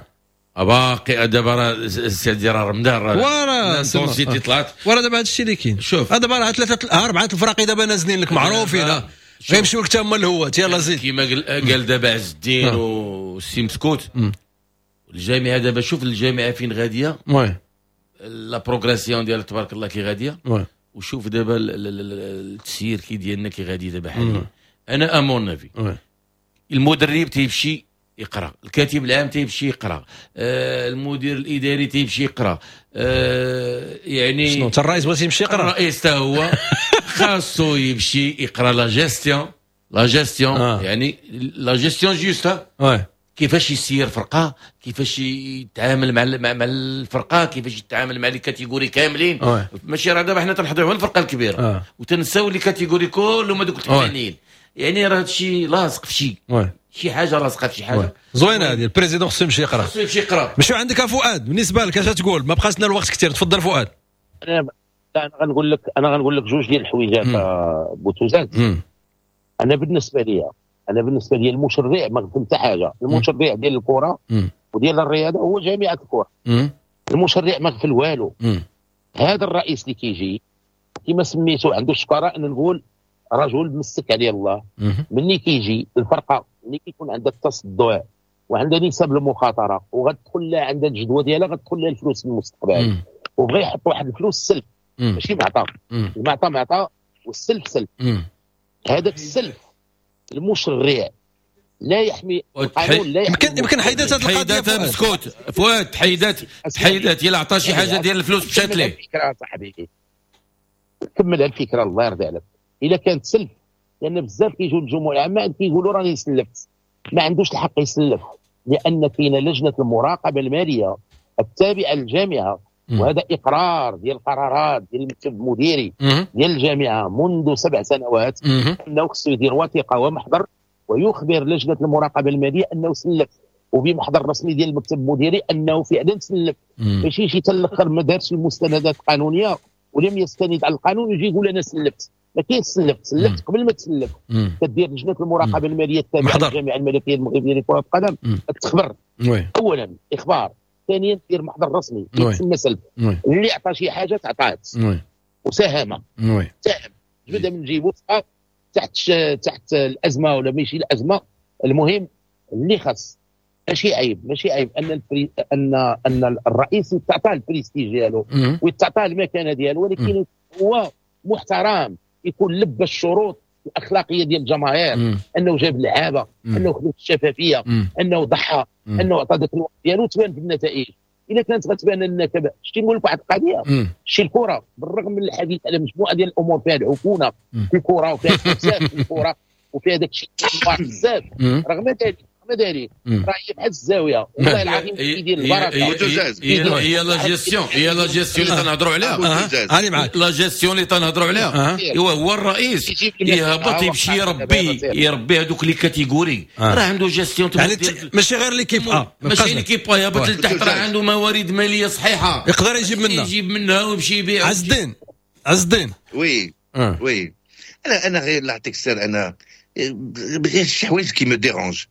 باقي دابا راه السيد راه رمضان راه l'intensité طلعت وراه دابا هذا الشيء اللي كاين. شوف دابا راه ثلاثة اربعة الفراقي دابا نازلين لك معروفين، غيمشيو لك تما الهوات. يلا زيد كيما قال دابا عز الدين والسي مسكوت، الجامعة دابا شوف الجامعة فين غادية، oui la progression ديال تبارك الله كي غادية، oui وشوف دابا التسيير كي ديالنا كي غادي دابا حاليا. انا à mon avis المدرب تيمشي يقرا، الكاتب العام تيمشي يقرا، آه المدير الاداري تيمشي يقرا، آه يعني شنو حتى الرئيس بغيت يمشي يقرا؟ الرئيس حتى هو خاصو يمشي يقرا la gestion، la gestion يعني la gestion juste. oui كيفاش يسير فرقه، كيفاش يتعامل مع مع الفرقة، كيفاش يتعامل مع les catégories كاملين. ماشي راه دابا حنا تنحضروا الفرقة الكبيرة أوه. وتنساو les catégories كلهم هذوك الثانيين، يعني راه هادشي لاصق في شي شي حاجة، لاصقه في شي حاجة. زوينة هذه، ال président خصو يمشي يقرا، خصو يمشي يقرا. مشيو عندك فؤاد، بالنسبة لك اش تقول؟ ما بقاش لنا الوقت كثير، تفضل فؤاد. انا انا غنقول لك انا غنقول لك جوج ديال الحويجات بوتوزات. انا بالنسبة لي انا بالنسبة لي المشرع ما خدم حتى حاجة، المشرع ديال الكره وديال الرياضة هو جامعه الكره. المشرع ما غفل والو. هذا الرئيس اللي كيجي كما سميتو عنده الشكاره، ان نقول رجل مسك عليه الله. ملي كيجي الفرقة ملي كيكون عندها التصدع وعندها نسب المخاطرة وغتدخل لها عندها الجدوى ديالها، غتدخل لها الفلوس في المستقبل، وبغى يحط واحد الفلوس سلف، ماشي معطى، المعطى معطى والسلف سلف. هذاك السلف المشرع لا يحمي القانون، لا يحمي. يمكن يمكن حيدات هذه القضية. حيدات مسكوت فؤاد، حيدات حيدات الا عطى شي حاجة ديال الفلوس مشات ليه. الفكرة صاحبي كمل الفكرة الله يرضي عليك. الا كانت سلف، لان بزاف كيجيو للجموع العامة كيقولوا راني سلفت، ما عندوش الحق يسلف، لان كاينه لجنة المراقبة المالية التابعة للجامعة، وهذا اقرار ديال القرارات ديال المكتب المديري ديال الجامعة منذ سبع سنوات، انه خصو يدير وثيقة ومحضر ويخبر لجنة المراقبة المالية انه سلف، وبمحضر رسمي ديال المكتب المديري انه فعلا سلف. ماشي شي حتى الاخر ما دارش المستندات القانونية ولم يستند على القانون يجي يقول انا سلفت. ما كاينش سلفت، سلفت قبل ما تسلف. كدير لجنة المراقبة المالية التابعة للجامعة الملكية المغربية لكرة القدم تخبر اولا اخبار، ثانيا دير محضر رسمي يتسمى سلف. اللي عطى شي حاجة تعطات وساهم، ساهم جبدها من جيبو تحت تحت الازمة ولا ماشي الازمة. المهم اللي خص ماشي عيب، ماشي عيب ان ال pré... ان ان الرئيس تعطاه البريستيج ديالو ويتعطاه المكانة ديالو، ولكن هو محترم، يكون لبى الشروط الاخلاقية ديال الجماهير، انه جاب لعابه، انه خدم الشفافية، انه ضحى، انه عطى ذاك الوقت ديالو، تبان في النتائج. الا كانت غتبان لنا كذا، شتي نقول لك واحد القضية، شتي الكره بالرغم من الحديث على مجموعة ديال الامور فيها العفونه في الكره وفيها الفساد في الكره وفيها داك الشيء بزاف، رغم ذلك رغم ذلك راه هي بحال الزاوية والله العظيم كيدير البركة. هي la gestion، هي la gestion اللي تنهضروا عليها. انا معاك، la gestion اللي تنهضروا عليها هو هو الرئيس يهبط يمشي يربي يربي هذوك les catégories، راه عنده gestion يعني ماشي غير l'équipe A، ماشي l'équipe A، يهبط لتحت راه عنده موارد ماليه صحيحه يقدر يجيب منها، يجيب منها ويمشي يبيع. عز الدين، عز الدين oui oui انا انا غير نعطيك السر، انا غير شي حوايج qui me dérangent.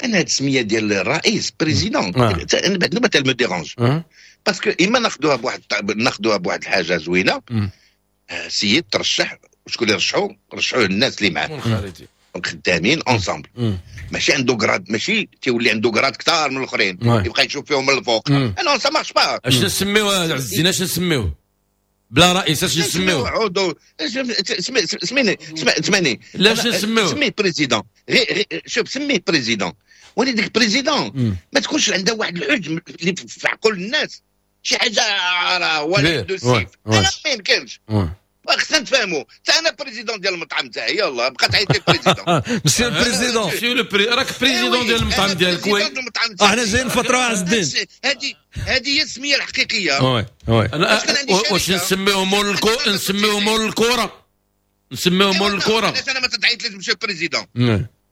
انا هاد السمية ديال الرئيس président انا بعد نوبه me dérange، parce que اما ناخذوها بواحد ناخذوها بواحد الحاجة زوينة، سيد ترشح، شكون اللي رشحو؟ رشحوه الناس اللي معاه خدامين ensemble، ماشي عنده grade، ماشي تيولي عنده grade كثار من الاخرين يبقى يشوف فيهم من الفوق. انا ça marche pas. اش نسميوه عز الدين؟ اش نسميوه بلا رئيس؟ اش نسميوه؟ عضو سميني سمعني، لا اش نسميوه؟ سميه président، غير شوف سميه président، ولكن ديك président ما تكونش عندها واحد الحجم اللي في عقول الناس، شي حاجة راه ولا دو سيف، انا ما يمكنش. خصنا نتفاهموا، حتى انا président ديال المطعم تاعي، يلاه بقى تعيط لي président. monsieur ال président، monsieur le pré راك président ديال المطعم ديالك. oui احنا جايين فترة عز الدين، هذه هذه هي السمية الحقيقية. oui oui واش نسميوه مول الكره؟ نسميوه مول الكره، نسميوه مول الكره. علاش انا ما تعيط ليش monsieur président؟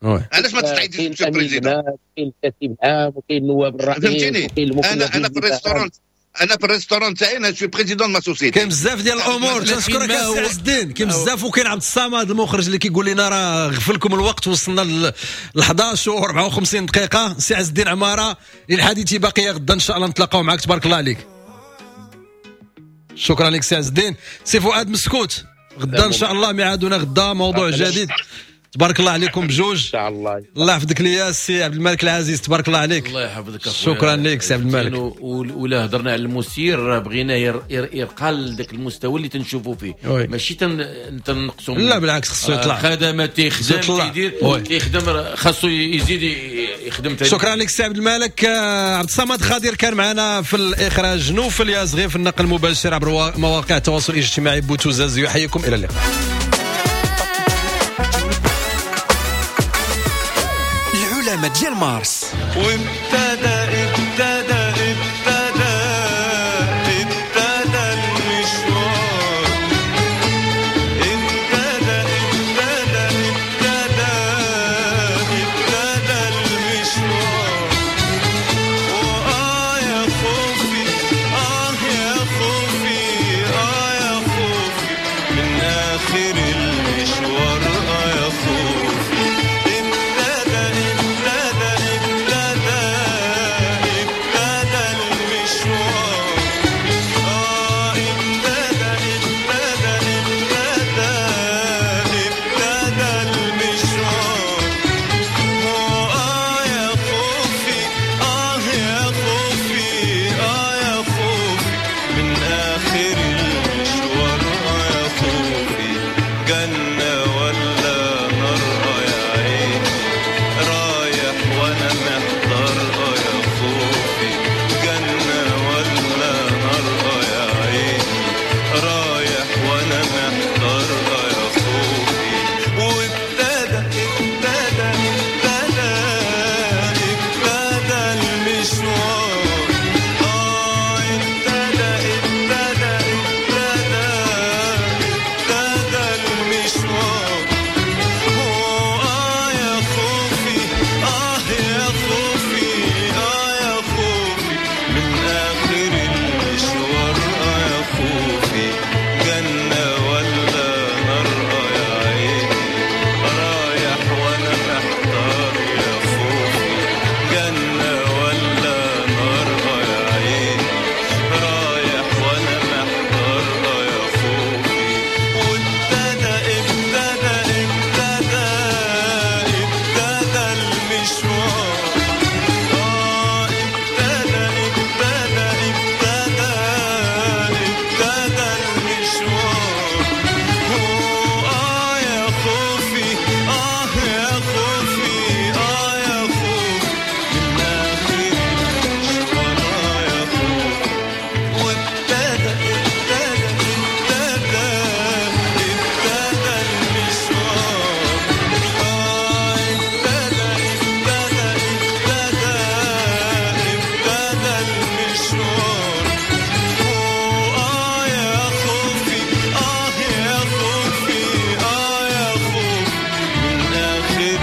oui علاش ما تعيطليش monsieur président؟ كاين الكاتب العام وكاين النواب الرئيس وكاين المكلف. انا انا في ال restaurant، انا في ال restaurant تاعي انا suis président ma société. كاين بزاف ديال الامور. تنشكرك السي عز الدين، كاين بزاف. وكاين عبد الصمد المخرج اللي كيقول لنا راه غفلكم الوقت، وصلنا ل احداش و أربعة وخمسين دقيقة. سي عز الدين عمارة، للحديث باقية غدا ان شاء الله نتلاقاو معك. تبارك الله عليك، شكرا لك سي عز الدين. سي فؤاد مسكوت، غدا ان شاء الله ميعادنا غدا موضوع جديد. تبارك الله عليكم بجوج ان شاء الله. الله يحفظك ليا سي عبد الملك العزيز، تبارك الله عليك. الله يحفظك اخويا، شكرا لك سي عبد الملك. ولا هضرنا على المسير، بغينا يرقى لذاك المستوى اللي تنشوفوا فيه، ماشي تنقصوا. لا بالعكس خصو يطلع، خدمات تيخدم تيدير تيخدم، خاصو يزيد يخدم. شكرا لك سي عبد الملك. عبد الصمد خضير كان معنا في الاخراج، نوفل يازغي في النقل المباشر عبر مواقع التواصل الاجتماعي. بوتوزاز يحييكم، الى اللقاء. السلامة ديال مارس. وابتدى ابتدى ابتدى ابتدى المشوار، ابتدى ابتدى ابتدى ابتدى المشوار. وآه يا خوفي، آه يا خوفي، آه يا خوفي من آخر